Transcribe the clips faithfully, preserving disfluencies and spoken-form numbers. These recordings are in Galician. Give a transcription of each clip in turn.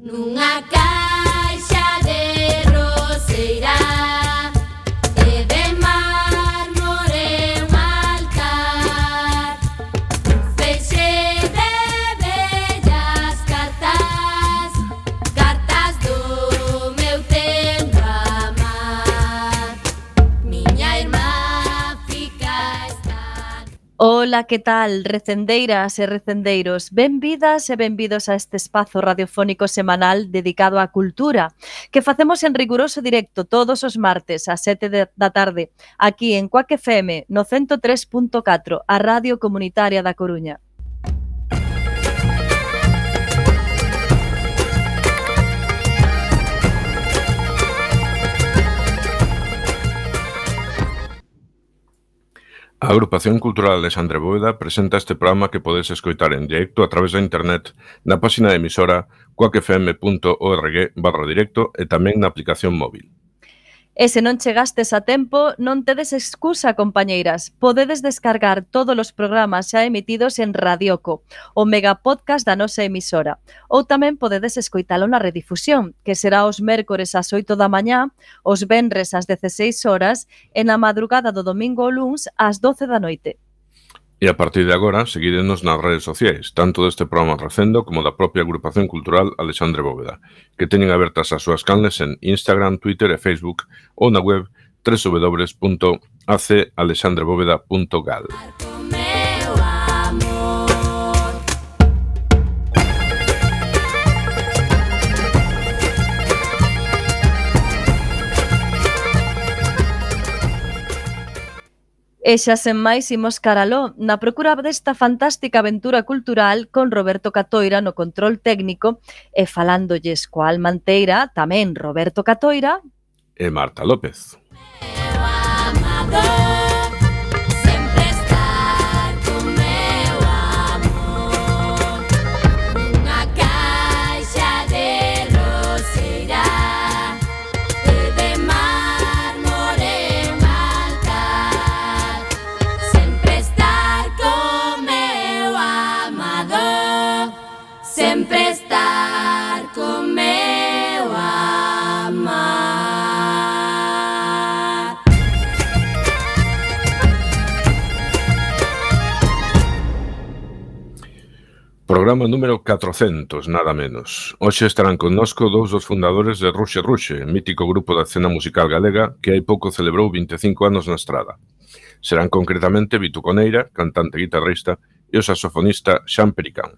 Nunha caixa de roseira e de mármore un altar, un feixe de bellas cartas, cartas do meu tempo amar. Miña irmá fica esta... Ola, que tal, recendeiras e recendeiros? Benvidas e benvidos a este espazo radiofónico semanal dedicado á cultura, que facemos en riguroso directo todos os martes ás sete de, da tarde, aquí en Cuac F M, no ciento tres punto catro, a Radio Comunitaria da Coruña. A Agrupación Cultural Alexandre Bóveda presenta este programa que podes escoitar en directo a través da internet na página de emisora cuacfm.org barra directo e tamén na aplicación móvil. E se non chegastes a tempo, non tedes excusa, compañeiras. Podedes descargar todos os programas xa emitidos en Radioco, o megapodcast da nosa emisora. Ou tamén podedes escoitalo na redifusión, que será os mércores ás oito da mañá, os venres ás dezaseis horas e na madrugada do domingo ao luns ás doce da noite. E a partir de agora, seguídenos nas redes sociais, tanto deste programa Recendo como da propia Agrupación Cultural Alexandre Bóveda, que teñen abertas as súas canles en Instagram, Twitter e Facebook ou na web w w w punto a c alexandre bóveda punto gal. E xa sen máis imos caraló, na procura desta fantástica aventura cultural con Roberto Catoira no control técnico e falándolles coa alma enteira, tamén Roberto Catoira e Marta López. Sempre estar con meu amar. Programa número catrocentos, nada menos. Hoxe estarán connosco dous dos fundadores de Ruxe Ruxe, mítico grupo da escena musical galega que hai pouco celebrou vinte e cinco anos na estrada. Serán concretamente Vitu Coneira, cantante e guitarrista, e o saxofonista Xan Pericán.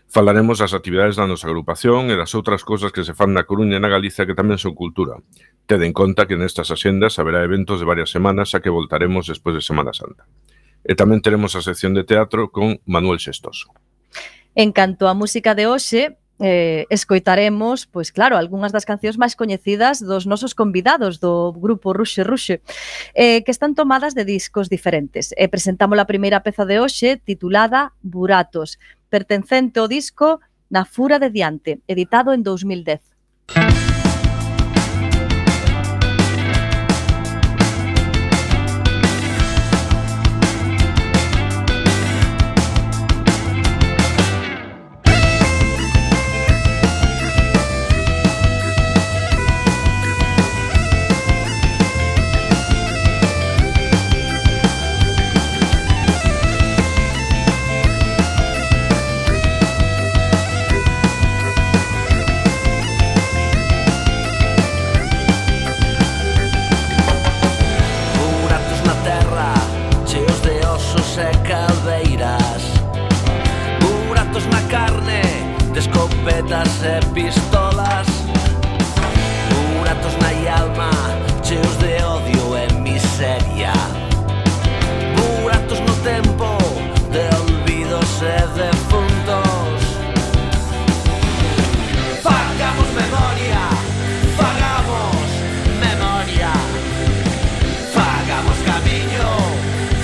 Falaremos das actividades da nosa agrupación e das outras cousas que se fan na Coruña e na Galicia que tamén son cultura. Ted en conta que nestas axendas haberá eventos de varias semanas a que voltaremos despois de Semana Santa. E tamén teremos a sección de teatro con Manuel Xestoso. En canto á música de hoxe, eh, escoitaremos, pois claro, algunhas das cancións máis coñecidas dos nosos convidados do grupo Ruxe Ruxe, eh, que están tomadas de discos diferentes. E presentamos a primeira peza de hoxe titulada Buratos, pertencente ao disco Na Fura de Diante, editado en dous mil dez. e pistolas, buratos na alma cheos de odio e miseria, buratos no tempo de olvidos e defuntos. Fagamos memoria, fagamos memoria, fagamos camiño,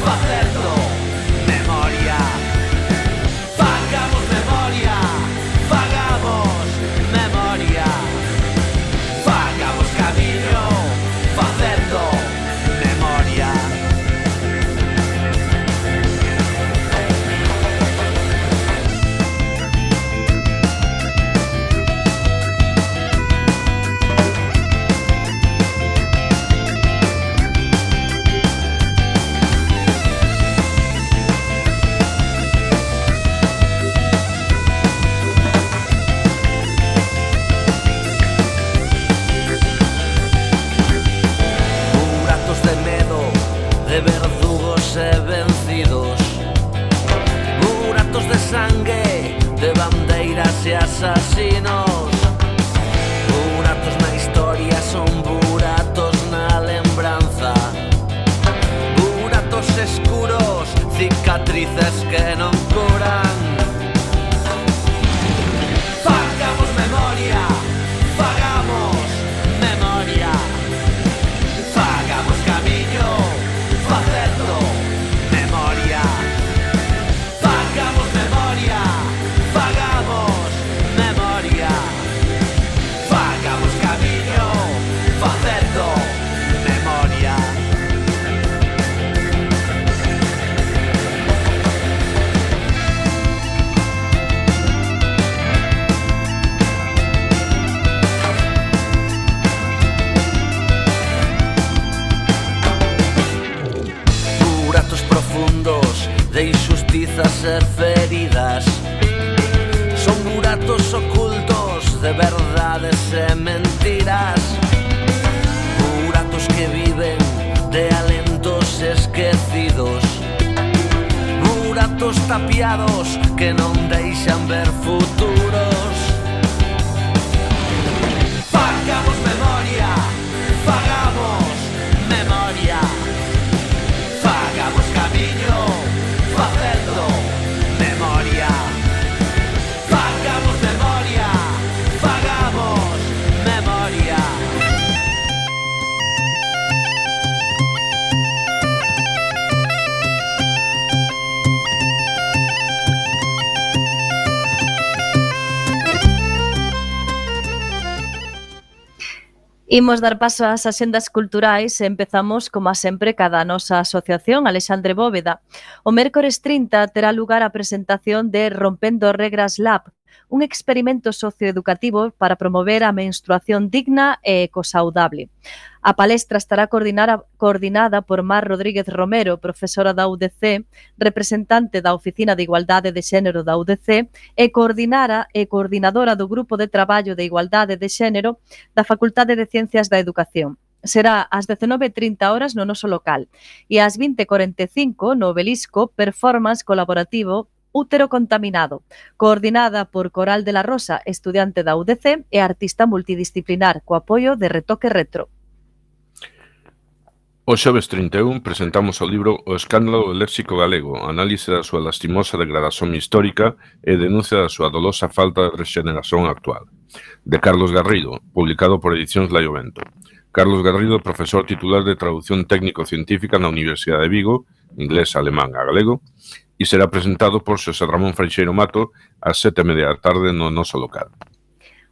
facendo memoria, fagamos memoria, fagamos memoria, fagamos camiño, facendo memoria. asasinos. Buratos na historia son buratos na lembranza. Buratos escuros, cicatrices que non curan. Fagamos memoria, fagamos memoria. Fagamos camiño, facendo memoria. Fagamos memoria, fagamos memoria. Fagamos camiño, facendo memoria. Buratos profundos de injustizas e feridas. Son buratos ocultos de verdades e mentiras. Buratos que viven de alentos esquecidos. Buratos tapiados que non deixan ver futuros. Fagamos memoria, fagamos memoria. Fagamos camiño, facendo memoria. Fagamos memoria, fagamos memoria. Imos dar paso ás axendas culturais e empezamos, como a sempre, cada nosa asociación, Alexandre Bóveda. O mércores trinta terá lugar a presentación de Rompendo Regras Lab, un experimento socioeducativo para promover a menstruación digna e ecosaudable. A palestra estará coordinada, coordinada por Mar Rodríguez Romero, profesora da U D C, representante da Oficina de Igualdade de Xénero da U D C e coordinara e coordinadora do Grupo de Traballo de Igualdade de Xénero da Facultade de Ciencias da Educación. Será ás dezenove e trinta horas no noso local e ás vinte e corenta e cinco no Obelisco, performance colaborativo Útero Contaminado, coordinada por Coral de la Rosa, estudiante da U D C e artista multidisciplinar, co apoio de Retoque Retro. O xoves trinta e un presentamos o libro O escándalo do léxico galego, análise da súa lastimosa degradación histórica e denuncia da súa dolosa falta de rexeneración actual, de Carlos Garrido, publicado por Edicións Laiovento. Carlos Garrido, profesor titular de traducción técnico-científica na Universidade de Vigo, inglés, alemán a galego, e será presentado por Xosé Ramón Freixeiro Mato ás sete e media da tarde no noso local.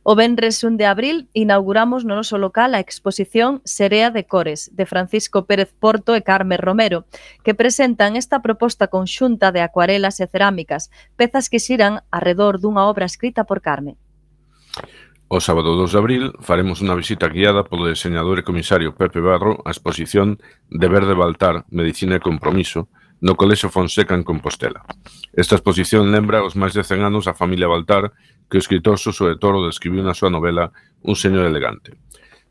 O venres un de abril inauguramos no noso local a exposición Serea de Cores, de Francisco Pérez Porto e Carme Romero, que presentan esta proposta conxunta de acuarelas e cerámicas, pezas que xiran arredor dunha obra escrita por Carme. O sábado dos de abril faremos unha visita guiada polo diseñador e comisario Pepe Barro á exposición De Verde Baltar, Medicina e Compromiso, no Colexio Fonseca en Compostela. Esta exposición lembra os máis de cen anos a familia Baltar que o escritor Suso de Toro describiu na súa novela Un señor elegante.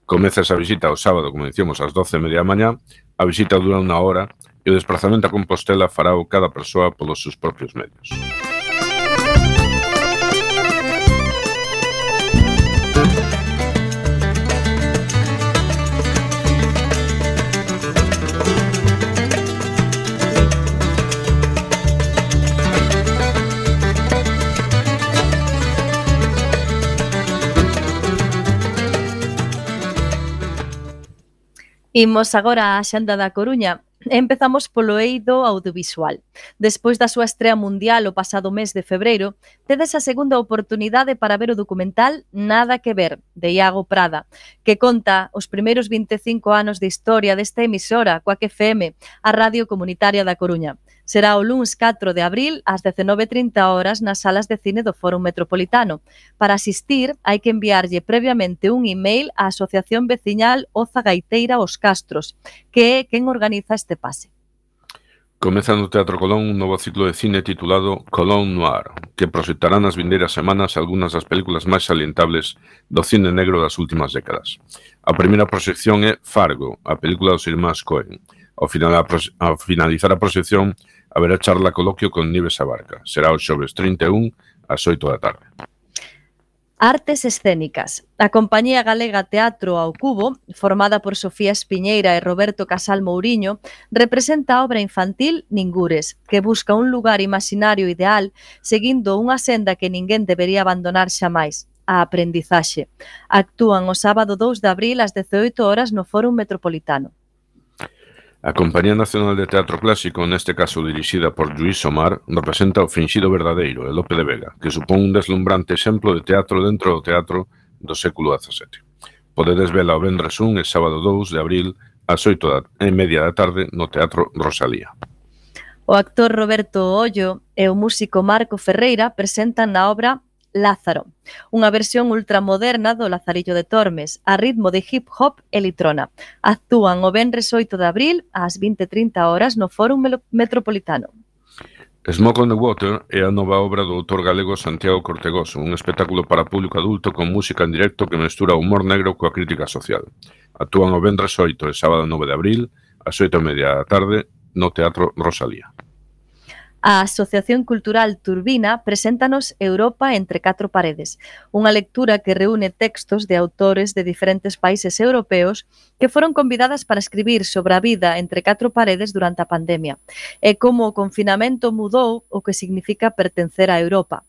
Comeza esa visita o sábado, como dicíamos, ás doce e media da mañá. A visita dura unha hora e o desplazamento a Compostela fará o cada persoa polos seus propios medios. Imos agora á Xanda da Coruña. Empezamos polo eido audiovisual. Despois da súa estrea mundial o pasado mes de febreiro, tedes a segunda oportunidade para ver o documental Nada que ver, de Iago Prada, que conta os primeiros vinte e cinco anos de historia desta emisora, Coac F M, a Radio Comunitaria da Coruña. Será o luns catro de abril ás dezenove e trinta horas nas salas de cine do Fórum Metropolitano. Para asistir, hai que enviarlle previamente un email á Asociación Veciñal Oza Gaiteira Os Castros, que é quen organiza este pase. Comeza no Teatro Colón un novo ciclo de cine titulado Colón Noir, que proxectará nas vindeiras semanas algunhas das películas máis salientables do cine negro das últimas décadas. A primeira proxección é Fargo, a película dos irmáns Coen. Ao, final, ao finalizar a proxección, haberá charla coloquio con Nieves Abarca. Será o xoves trinta e un ás oito da tarde. Artes escénicas. A compañía galega Teatro ao Cubo, formada por Sofía Espiñeira e Roberto Casal Mouriño, representa a obra infantil Ningures, que busca un lugar imaxinario ideal seguindo unha senda que ninguén debería abandonar xamais, a aprendizaxe. Actúan o sábado dous de abril ás dezaoito horas no Fórum Metropolitano. A Compañía Nacional de Teatro Clásico, neste caso dirixida por Lluís Omar, representa o Finxido Verdadeiro, de Lope de Vega, que supón un deslumbrante exemplo de teatro dentro do teatro do século dezasete. Podedes vela o vendres un e sábado dous de abril ás oito e media da tarde no Teatro Rosalía. O actor Roberto Ollo e o músico Marco Ferreira presentan na obra Lázaro, unha versión ultramoderna do Lazarillo de Tormes, a ritmo de hip hop e litrona. Actúan o venres oito de abril ás vinte e trinta horas no Fórum Metropolitano. Smoke on the Water é a nova obra do autor galego Santiago Cortegoso, un espectáculo para público adulto con música en directo que mestura o humor negro coa crítica social. Actúan o venres oito e sábado nove de abril ás oito e media da tarde no Teatro Rosalía. A Asociación Cultural Turbina preséntanos Europa entre catro paredes, unha lectura que reúne textos de autores de diferentes países europeos que foron convidadas para escribir sobre a vida entre catro paredes durante a pandemia e como o confinamento mudou o que significa pertencer a Europa.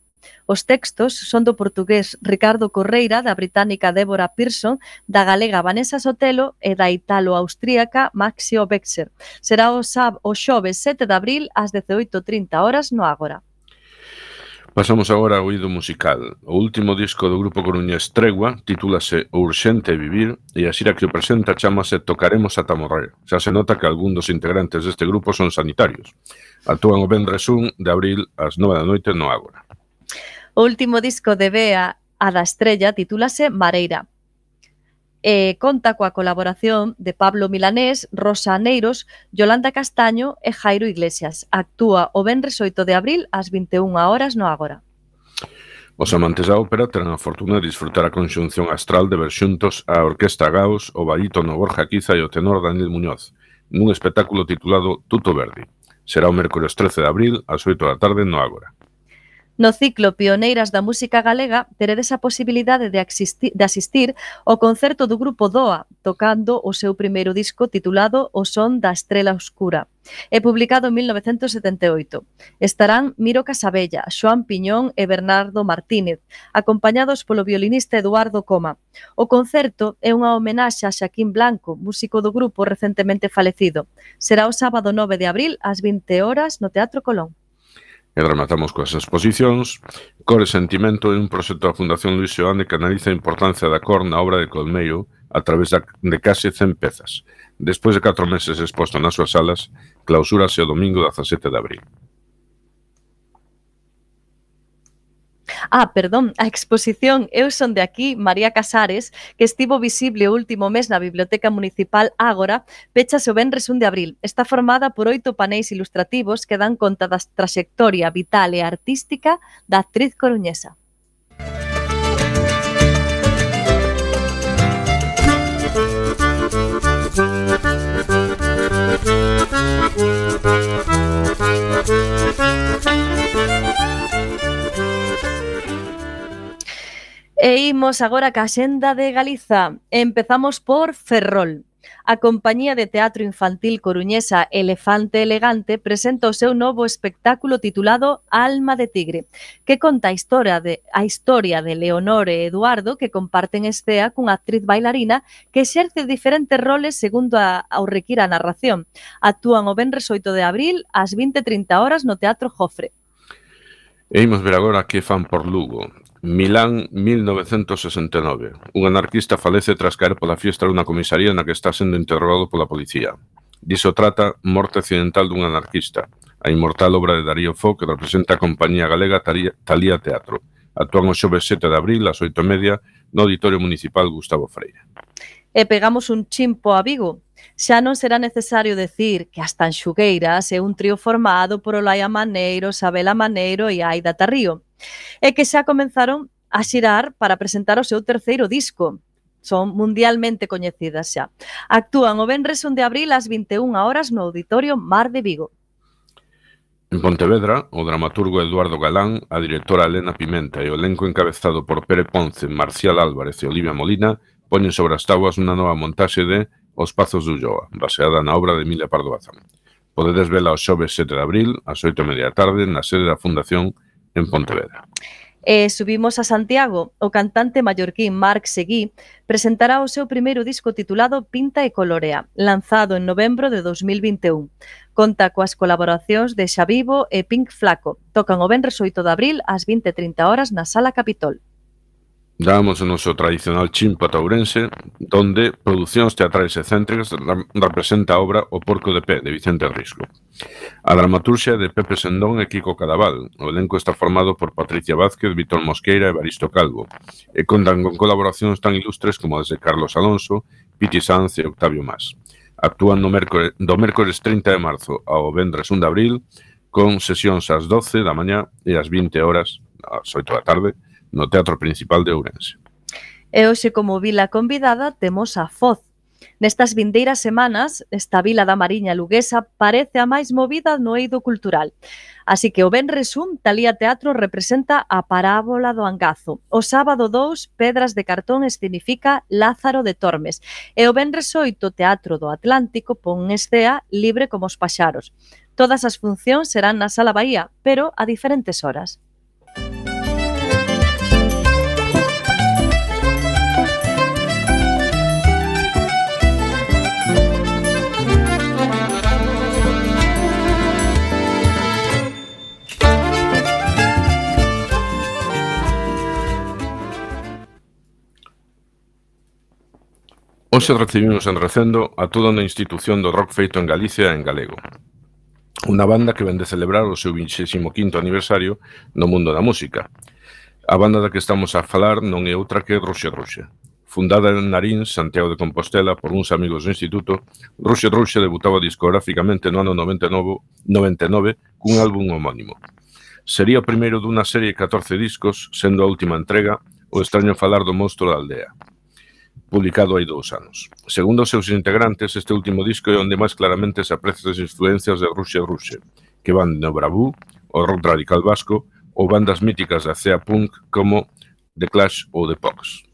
Os textos son do portugués Ricardo Correira, da británica Débora Pearson, da galega Vanessa Sotelo e da italo-austríaca Maxio Bexer. Será o, sab, o xoves sete de abril ás dezaoito e trinta horas no Ágora. Pasamos agora ao oído musical. O último disco do grupo coruñés Tregua titúlase O Urxente Vivir e a xira que o presenta chamase Tocaremos ata morrer. Xa se nota que algún dos integrantes deste grupo son sanitarios. Actúan o vendres un de abril ás nove da noite no Ágora. O último disco de Bea, a da Estrella, titúlase Mareira. E conta coa colaboración de Pablo Milanés, Rosa Aneiros, Yolanda Castaño e Jairo Iglesias. Actúa o venres oito de abril ás vinte e unha horas no Ágora. Os amantes da ópera terán a fortuna de disfrutar a conxunción astral de ver xuntos a Orquesta Gaos, o barítono Borja Quiza e o tenor Daniel Muñoz, nun espectáculo titulado Tuto Verdi. Será o mércores trece de abril ás oito da tarde no Ágora. No ciclo Pioneiras da Música Galega teredes a posibilidade de, asistir, de asistir ao concerto do grupo Doa, tocando o seu primeiro disco titulado O Son da Estrela Oscura, e publicado en mil novecentos setenta e oito. Estarán Miro Casabella, Xoán Piñón e Bernardo Martínez, acompañados polo violinista Eduardo Coma. O concerto é unha homenaxe a Xaquín Blanco, músico do grupo recentemente falecido. Será o sábado nove de abril ás vinte horas no Teatro Colón. E rematamos coas exposicións. Cor e Sentimento é un proxecto da Fundación Luis Seoane que analiza a importancia da cor na obra de Colmeiro a través de case cen pezas. Despois de catro meses exposto nas súas salas, clausúrase o domingo dezasete de abril. Ah, perdón, a exposición Eu son de aquí, María Casares, que estivo visible o último mes na Biblioteca Municipal Ágora, pechase o venres un de abril. Está formada por oito paneis ilustrativos que dan conta da traxectoria vital e artística da actriz coruñesa. E imos agora ca Axenda de Galiza. Empezamos por Ferrol. A compañía de teatro infantil coruñesa Elefante Elegante presenta o seu novo espectáculo titulado Alma de Tigre, que conta a historia de, a historia de Leonor e Eduardo, que comparten escea cunha actriz bailarina que exerce diferentes roles segundo a, ao requira a narración. Actúan o venres oito de abril ás vinte e trinta horas no Teatro Jofre. E imos ver agora que fan por Lugo. Milán, mil novecentos sesenta e nove. Un anarquista falece tras caer pola fiestra dunha comisaría na que está sendo interrogado pola policía. Diso trata Morte accidental dun anarquista, a inmortal obra de Darío Fo que representa a compañía galega Talía Teatro. Actúan o xoves sete de abril ás oito e media no Auditorio Municipal Gustavo Freire. E pegamos un chimpo a Vigo. Xa non será necesario decir que as Tanxugueiras é un trío formado por Olaia Maneiro, Sabela Maneiro e Aida Tarrío, e que xa comenzaron a xirar para presentar o seu terceiro disco. Son mundialmente coñecidas xa. Actúan o venres un de abril ás vinte e unha horas no Auditorio Mar de Vigo. En Pontevedra, o dramaturgo Eduardo Galán, a directora Elena Pimenta e o elenco encabezado por Pere Ponce, Marcial Álvarez e Olivia Molina poñen sobre as táboas unha nova montaxe de Os Pazos de Ulloa, baseada na obra de Emilia Pardo Bazán. Podedes vela o xoves sete de abril, ás oito e media da tarde, na sede da Fundación en Pontevedra. E subimos a Santiago, o cantante mallorquín Marc Seguí presentará o seu primeiro disco titulado Pinta e Colorea, lanzado en novembro de dos mil vinte e un. Conta coas colaboracións de Xavivo e Pink Flaco. Tocan o venres oito de abril ás vinte e trinta horas na Sala Capitol. Dábamos o noso tradicional chimpo a Ourense, donde Producións Teatrais e Céntricas representa a obra O Porco de Pé, de Vicente Risco. A dramaturxia de Pepe Sendón e Kiko Cadaval. O elenco está formado por Patricia Vázquez, Vítor Mosqueira e Evaristo Calvo, e contan con colaboracións tan ilustres como as de Carlos Alonso, Piti Sanz e Octavio Mas. Actúan no mércores, do mércores trinta de marzo ao vendres un de abril, con sesións ás doce da mañá e ás vinte horas, ás oito da tarde, no Teatro Principal de Ourense. E hoxe, como vila convidada, temos a Foz. Nestas vindeiras semanas, esta vila da Mariña luguesa parece a máis movida no eido cultural. Así que o venres un, Talía Teatro representa a Parábola do Angazo. O sábado dous, Pedras de Cartón escenifica Lázaro de Tormes. E o venres oito, Teatro do Atlántico pon escea Libre como os paxaros. Todas as funcións serán na Sala Bahía, pero a diferentes horas. Hoxe recibimos en Recendo a toda unha institución do rock feito en Galicia e en galego. Unha banda que vén de celebrar o seu vinte e quinto aniversario no mundo da música. A banda da que estamos a falar non é outra que Ruxe Ruxe. Fundada en Narín, Santiago de Compostela, por uns amigos do instituto, Ruxe Ruxe debutaba discográficamente no ano noventa e nove cun álbum homónimo. Sería o primeiro dunha serie de catorce discos, sendo a última entrega O extraño falar do monstro da aldea, publicado hai dous anos. Segundo os seus integrantes, este último disco é onde máis claramente se aprecian as influencias de Ruxe Ruxe, que van no bravú, o rock radical vasco ou bandas míticas da cea punk como The Clash ou The Pox.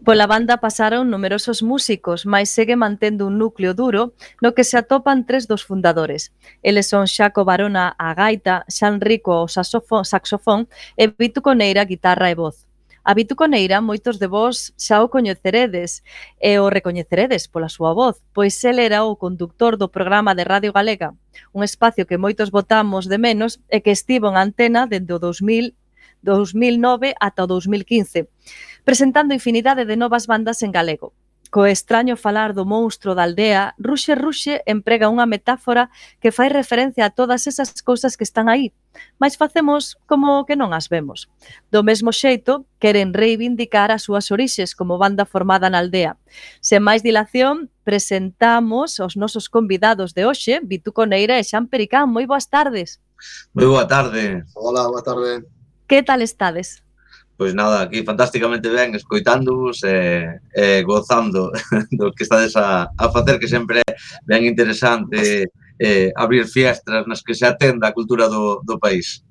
Pola banda pasaron numerosos músicos, mais segue mantendo un núcleo duro no que se atopan tres dos fundadores. Eles son Xaco Barona a gaita, Xan Rico ao saxofón e Vitu Coneira a guitarra e voz. A Vitu Coneira, moitos de vós xa o coñeceredes e o recoñeceredes pola súa voz, pois el era o conductor do programa de Radio Galega, un espacio que moitos botamos de menos e que estivo en antena dende o dos mil nove ata o dos mil quince, presentando infinidade de novas bandas en galego. Co extraño falar do monstro da aldea, Ruxe Ruxe emprega unha metáfora que fai referencia a todas esas cousas que están aí, mas facemos como que non as vemos. Do mesmo xeito, queren reivindicar as súas orixes como banda formada na aldea. Sen máis dilación, presentamos os nosos convidados de hoxe, Vitu Coneira e Xan Pericán. Moi boas tardes. Moi boa tarde. Hola, boa tarde. Que tal estades? Pois nada, aquí fantásticamente ben, escoitándovos e, e gozando do que estades a, a facer, que sempre é ben interesante eh, abrir fiestras nas que se atenda a cultura do, do país.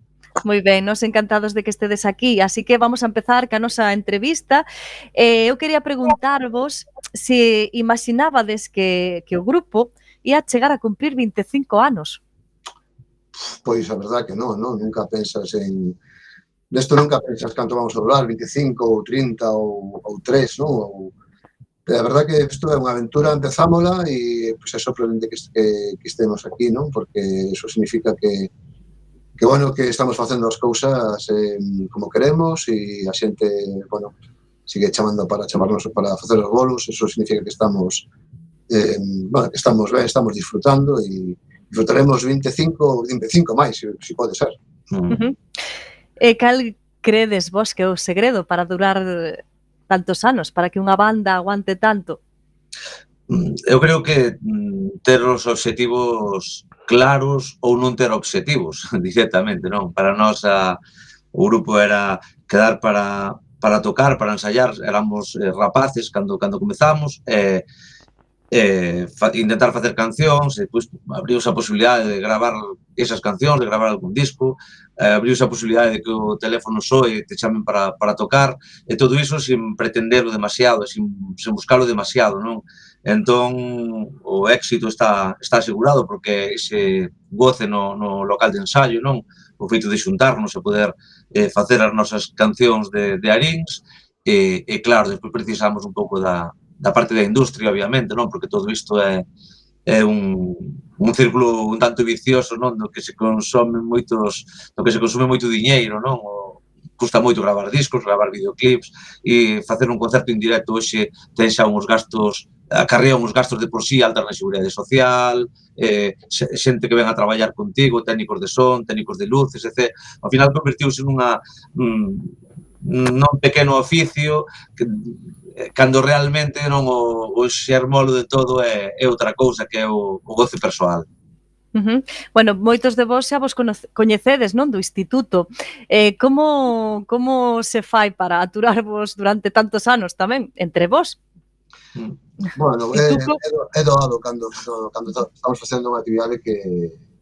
Moi ben, nos encantados de que estedes aquí, así que vamos a empezar ca nosa entrevista. Eh, eu quería preguntarvos se imaginabades que, que o grupo ia chegar a cumprir vinte e cinco anos. Pois a verdad que non, non, nunca pensas en... Nesto nunca pensas canto vamos a durar, vinte e cinco ou trinta ou, ou tres, non? Ou... A verdad que isto é unha aventura, empezámola e pois, é sorprendente que, que, que estemos aquí, non? Porque eso significa que, que, bueno, que estamos facendo as cousas eh, como queremos e a xente, bueno, sigue chamando para chamarnos para facer os bolos, eso significa que estamos, eh, bueno, que estamos ben, estamos disfrutando e disfrutaremos vinte e cinco, vinte e cinco máis, se, se pode ser. Uh -huh. E cal credes vos que é o segredo para durar tantos anos, para que unha banda aguante tanto? Eu creo que ter os obxectivos claros ou non ter obxectivos directamente, non? Para nós a, o grupo era quedar para, para tocar, para ensayar, éramos eh, rapaces cando, cando comezamos, e eh, eh, fa, intentar facer cancións, e depois abriu a posibilidade de gravar esas cancións, de gravar algún disco, eh, abriuse a posibilidade de que o teléfono soe e te chamen para, para tocar, e todo iso sin pretenderlo demasiado, sin, sin buscarlo demasiado, non? Entón, o éxito está, está asegurado porque ese goce no, no local de ensaio, non? O feito de xuntarnos e poder eh, facer as nosas cancións de, de Arins, e, e claro, despois precisamos un pouco da, da parte da industria, obviamente, non? Porque todo isto é, é un, un círculo un tanto vicioso, non? No que se consome moitos, no que se consume moito diñeiro, non? O, custa moito gravar discos, gravar videoclips, e facer un concerto en directo hoxe ten xa uns gastos, acarrea uns gastos de por sí altas na seguridade social, eh, xente que ven a traballar contigo, técnicos de son, técnicos de luces, etcétera. Ao final convertiuse nunha mm, non pequeno oficio que, cando realmente non o, o xermolo de todo é, é outra cousa que é o, o goce persoal. Uh-huh. Bueno, moitos de vos xa vos coñecedes, non, do instituto. Eh, como, como se fai para aturarvos durante tantos anos tamén, entre vos? Bueno, é, é doado cando, cando estamos facendo unha actividade que,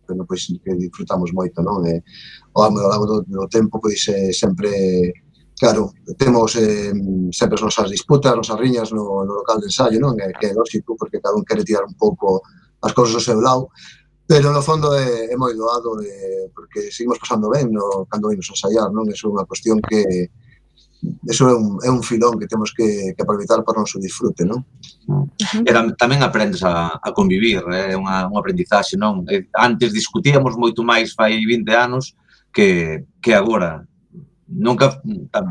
bueno, pois, que disfrutamos moito, non? E, ao longo do, do tempo, pois, é sempre... Claro, temos eh, sempre as nosas disputas, as nosas riñas no, no local de ensaio, non? É, que é lógico, porque cada un quere tirar un pouco as cousas do seu lado, pero no fondo é, é moi doado, eh, porque seguimos pasando ben no, cando vimos a ensaiar, non? Eso é unha cuestión que... Eso é un, é un filón que temos que, que aproveitar para o noso disfrute, non? E tamén aprendes a, a convivir, é eh? unha, unha aprendizaxe, non? Antes discutíamos moito máis fai vinte anos que, que agora. Nunca,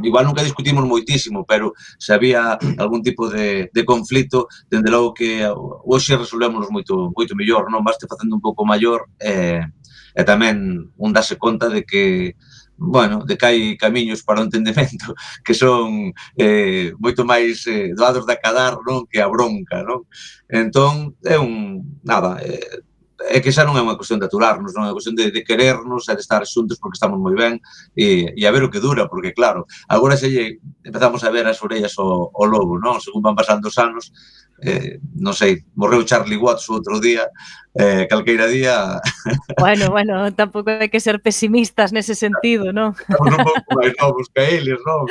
igual nunca discutimos moitísimo, pero se había algún tipo de, de conflito, dende logo que hoxe resolvémonos moito, moito mellor, non? Vaste facendo un pouco maior e, e tamén un dase conta de que, bueno, de que hai camiños para o entendemento que son eh, moito máis eh, doados de acadar, non? Que a bronca, non? Entón, é un, nada, eh, é que xa non é unha cuestión de aturarnos, non é unha cuestión de, de querernos e de estar xuntos porque estamos moi ben e, e a ver o que dura, porque claro, agora xa lle empezamos a ver as orellas ao, ao lobo, non? Según van pasando os anos, eh, non sei, morreu Charlie Watts o outro día, eh, calqueira día... Bueno, bueno, tampouco hai que ser pesimistas nese sentido, non? Estamos un pouco máis novos que eles, non?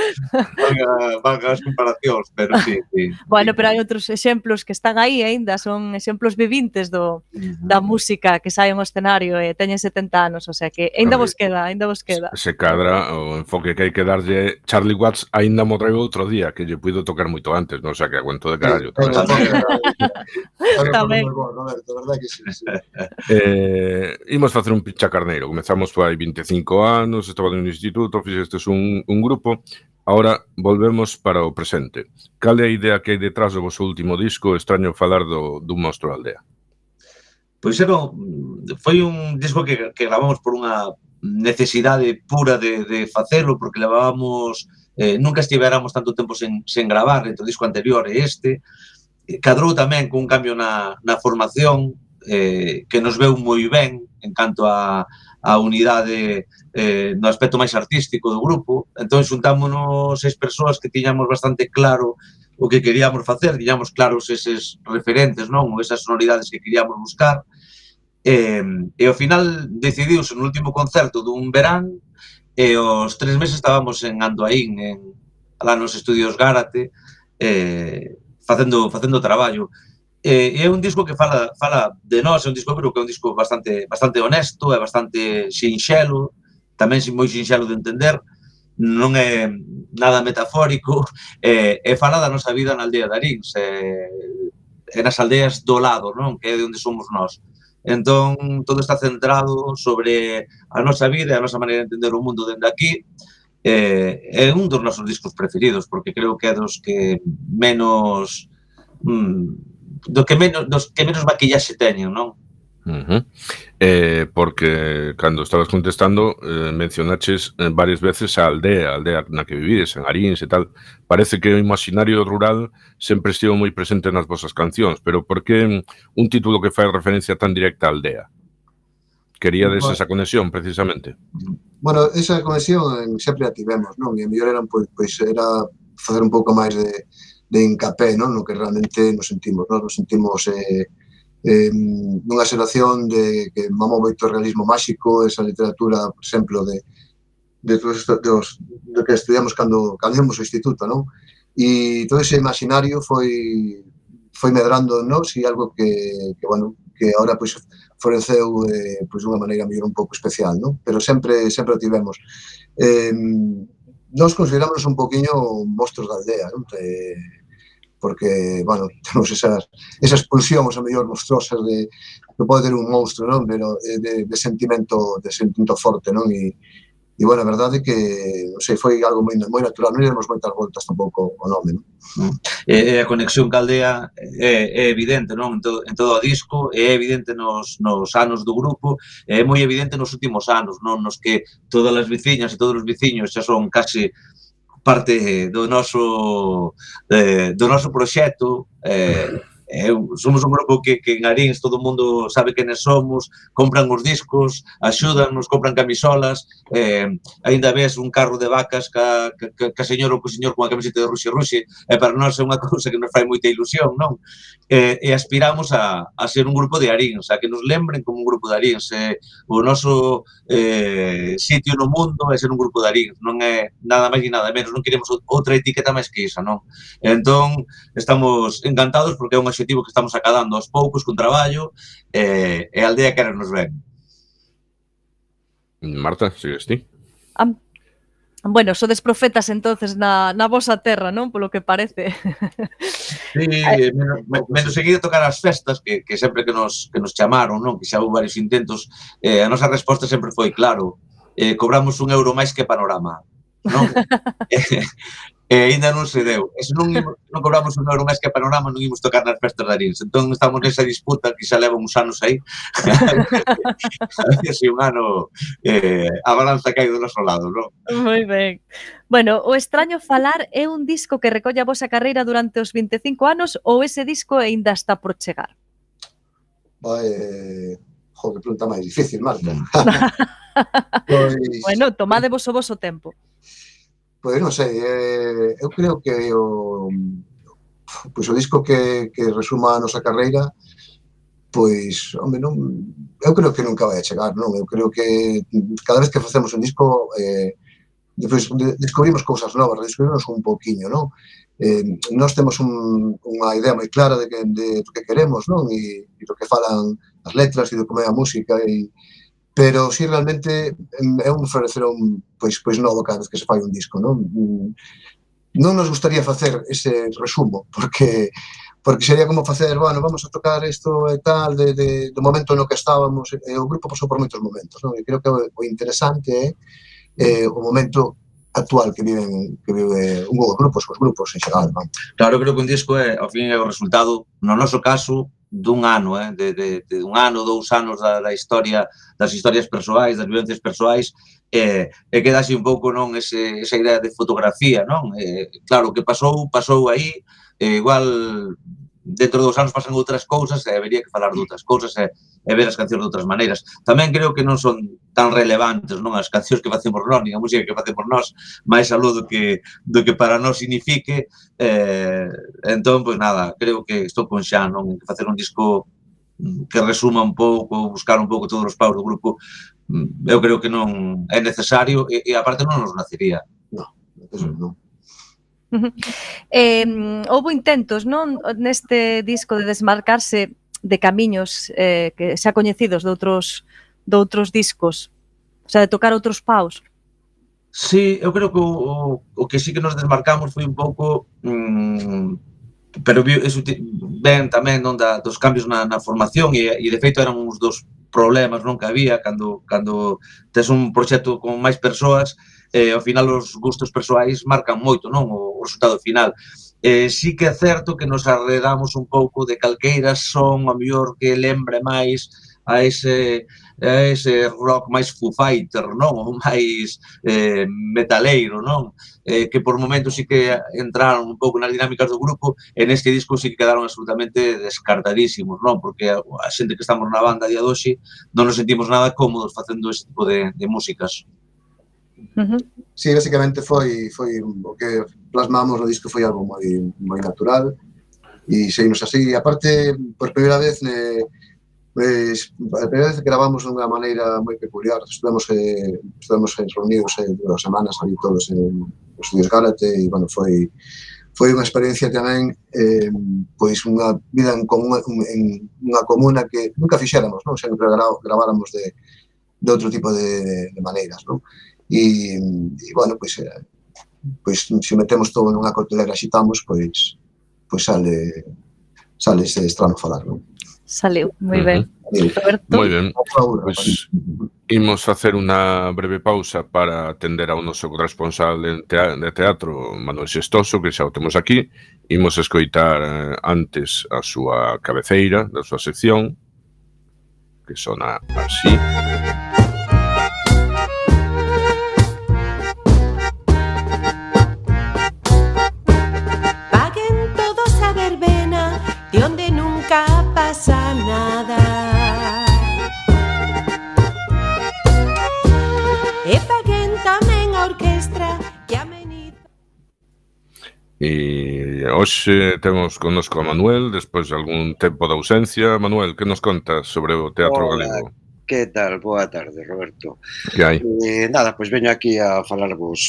Van as comparacións, pero sí, sí. Bueno, sí. Pero hai outros exemplos que están aí aínda, son exemplos vivintes do, uh-huh. da música que saen ao escenario e teñen setenta anos, o sea que aínda vos queda, aínda vos queda. Se cadra o enfoque que hai que darlle Charlie Watts aínda morreu outro día, que lle puido tocar moito antes, non? O sea que aguento de carallo. Tamén. Roberto, verdad que sí. Sí. Eh, imos facer un pincha carneiro. Comezamos hai vinte e cinco anos, estaba no instituto, fixestes un, un grupo. Ahora volvemos para o presente. Cal é a idea que hai detrás do vosso último disco? Extraño falar do, dun monstro aldea. Pois era, foi un disco que, que gravamos por unha necesidade pura de, de facelo, porque levábamos, eh, nunca estivéramos tanto tempo sen, sen gravar, entre o disco anterior e este. Cadrou tamén con un cambio na, na formación, eh, que nos veu moi ben en canto a, a unidade eh, no aspecto máis artístico do grupo. Entón, xuntámonos seis persoas que tiñamos bastante claro o que queríamos facer, tiñamos claros eses referentes, non? Esas sonoridades que queríamos buscar. E, e ao final decidiuse no último concerto dun verán e aos tres meses estábamos en Andoaín, en, lá nos estudios Gárate, eh, facendo, facendo traballo. E é un disco que fala, fala de nós, é un disco pero que é un disco bastante, bastante honesto, é bastante sinxelo, tamén moi sinxelo de entender, non é nada metafórico, é, é fala da nosa vida na aldea de Arins, é, é nas aldeas do lado, non? Que é de onde somos nós. Entón, todo está centrado sobre a nosa vida e a nosa maneira de entender o mundo dende aquí. É, é un dos nosos discos preferidos, porque creo que é dos que menos... Mmm, do que menos, dos que menos maquillaxe teñen, non? Uh-huh. Eh, porque cando estabas contestando eh, mencionaches eh, varias veces a aldea, a aldea na que vivides, en Arins e tal. Parece que o imaginario rural sempre estivo moi presente nas vosas cancións, pero por que un título que fai referencia tan directa á aldea? Queríades bueno, esa conexión, precisamente? Bueno, esa conexión sempre a tivemos, non? E a mellor era, pois, pois, era facer un pouco máis de, de encapé, non? No que realmente nos sentimos, non? Nos sentimos... Eh, eh, nunha xeración de que mamou moito o realismo máxico, esa literatura, por exemplo, de, de todos estos, de, os, de que estudiamos cando, cando íamos ao instituto, non? E todo ese imaginario foi foi medrando en nós e algo que, que bueno, que agora pois floreceu eh, pois dunha maneira mellor un pouco especial, non? Pero sempre sempre o tivemos. Eh, nós consideramos un poquinho monstruos da aldea, non? Eh, porque, bueno, temos esas, esas pulsións a mellor monstruosas de que pode ter un monstro, non? Pero de, de sentimento de sentimento forte, non? E E, bueno, a verdade é que, non sei, foi algo moi, moi natural, non demos moitas voltas tampouco ao nome, non? Mm. E a conexión ca aldea é, é evidente, non? En todo, en todo o disco, é evidente nos, nos anos do grupo, é moi evidente nos últimos anos, non? Nos que todas as veciñas e todos os veciños xa son case parte do noso eh, do noso proxecto. eh, Eh, somos un grupo que, que en Arins todo o mundo sabe quenes somos, compran os discos, axúdanos, compran camisolas, eh, aínda ves un carro de vacas ca, ca, ca señor ou co señor con a camiseta de Ruxe Ruxe, e para nós é unha cousa que nos fai moita ilusión, non? Eh, e aspiramos a, a ser un grupo de Arins, a que nos lembren como un grupo de Arins. Eh, o noso eh, sitio no mundo é ser un grupo de Arins, non é nada máis e nada menos, non queremos outra etiqueta máis que isa, non? Entón, estamos encantados porque é un objetivo que estamos acadando aos poucos con traballo, eh, e a aldea quere nos ven. Marta, sigues ti? Ah, bueno, sodes profetas entonces na, na vosa terra, non? Polo que parece. Sí, menos, menos seguir a tocar as festas, que, que sempre que nos, que nos chamaron, non? Que xa houve varios intentos, eh, a nosa resposta sempre foi claro, eh, cobramos un euro máis que Panorama, non? E ainda non se deu. E se non, non cobramos un euro máis que a Panorama, non imos tocar nas festas de Arins. Entón, estamos nesa disputa que xa leva uns anos aí. A ver se un ano eh, a balanza cae do noso lado, non? Moi ben. Bueno, O Extraño Falar é un disco que recolle a vosa carreira durante os vinte e cinco anos ou ese disco ainda está por chegar? Vai, jo, que pregunta máis difícil, Marta. Pois, Bueno, tomadevos o voso tempo. pois non sei, eh, eu creo que o, pois o disco que, que resuma a nosa carreira, pois, home, non, eu creo que nunca vai a chegar, non? Eu creo que cada vez que facemos un disco, eh, depois de, descubrimos cousas novas, descubrimos un pouquiño, non? Eh, nós temos un, unha idea moi clara de, que, de do que queremos, non? E, e do que falan as letras e do como é a música, e pero si realmente é un florecer un, pois, pois novo cada vez que se fai un disco, non? Non nos gustaría facer ese resumo, porque porque sería como facer, bueno, vamos a tocar isto e tal, de, de, do momento no que estábamos, e o grupo pasou por moitos momentos, non? E creo que o, o interesante é eh, o momento actual que viven que vive un dos grupos, os grupos en xeral, non? Claro, creo que un disco é, ao fin, é o resultado, no noso caso, dun ano, eh, de, de, de un ano, dous anos da, da historia, das historias persoais, das vivencias persoais, e, e queda así un pouco, non, ese, esa idea de fotografía, non? E, claro, o que pasou, pasou aí, e igual dentro dos anos pasan outras cousas e habería que falar de outras cousas e, e ver as cancións de outras maneiras. Tamén creo que non son tan relevantes, non, as cancións que facemos nós, nin a música que facemos nós, máis aló do que, do que para nós signifique. Eh, entón, pois nada, creo que estou con xa, non, que facer un disco que resuma un pouco, buscar un pouco todos os paus do grupo, eu creo que non é necesario e, e aparte non nos nacería. Non, eso non. Eh, houve intentos, non, neste disco de desmarcarse de camiños eh, que xa coñecidos de outros, de outros discos, o sea, de tocar outros paus. Sí, eu creo que o, o que sí que nos desmarcamos foi un pouco, mmm, pero eso ben tamén non da, dos cambios na, na formación e, e de feito eran uns dos problemas non que había cando, cando tes un proxecto con máis persoas. Eh, ao final os gustos persoais marcan moito, non, o, o resultado final. Eh, sí que é certo que nos arredamos un pouco de calqueiras son a mellor que lembre máis a ese, a ese rock máis Foo Fighter, non, ou máis eh, metaleiro, non, eh, que por momentos sí que entraron un pouco nas dinámicas do grupo e neste disco sí que quedaron absolutamente descartadísimos, non, porque a, a xente que estamos na banda a día de hoxe non nos sentimos nada cómodos facendo este tipo de, de músicas. Uh-huh. Sí, basicamente foi foi o que plasmamos no disco foi algo moi moi natural. e seguimos así. E aparte, por primeira vez, ne, pues, a primeira vez gravamos dunha maneira moi peculiar. Estuvemos, eh, estuvemos reunidos eh, dúas semanas ali todos en os estudios Gálate e, bueno, foi foi unha experiencia tamén, eh, pois unha vida en, común, en unha comuna que nunca fixéramos, non? Sempre gra, graváramos de, de outro tipo de, de maneiras, non? E, e bueno, pois, eh, pois se metemos todo nunha coctelera e xitamos, pois, pois sale, sale ese estrano falar, non? Saliu, moi ben. Roberto? Moi ben, pois imos facer unha breve pausa para atender ao noso corresponsal de teatro, Manuel Xestoso, que xa o temos aquí. Imos escoitar antes a súa cabeceira da súa sección, que sona así. Paguen todos a verbena, de onde nunca pasa nada. E paguen tamén a orquestra que ameniza. E hoxe temos connosco a Manuel, despois de algún tempo de ausencia. Manuel, que nos contas sobre o teatro Hola, galego? que tal? Boa tarde, Roberto. Que hai? Eh, nada, pois veño aquí a falarvos,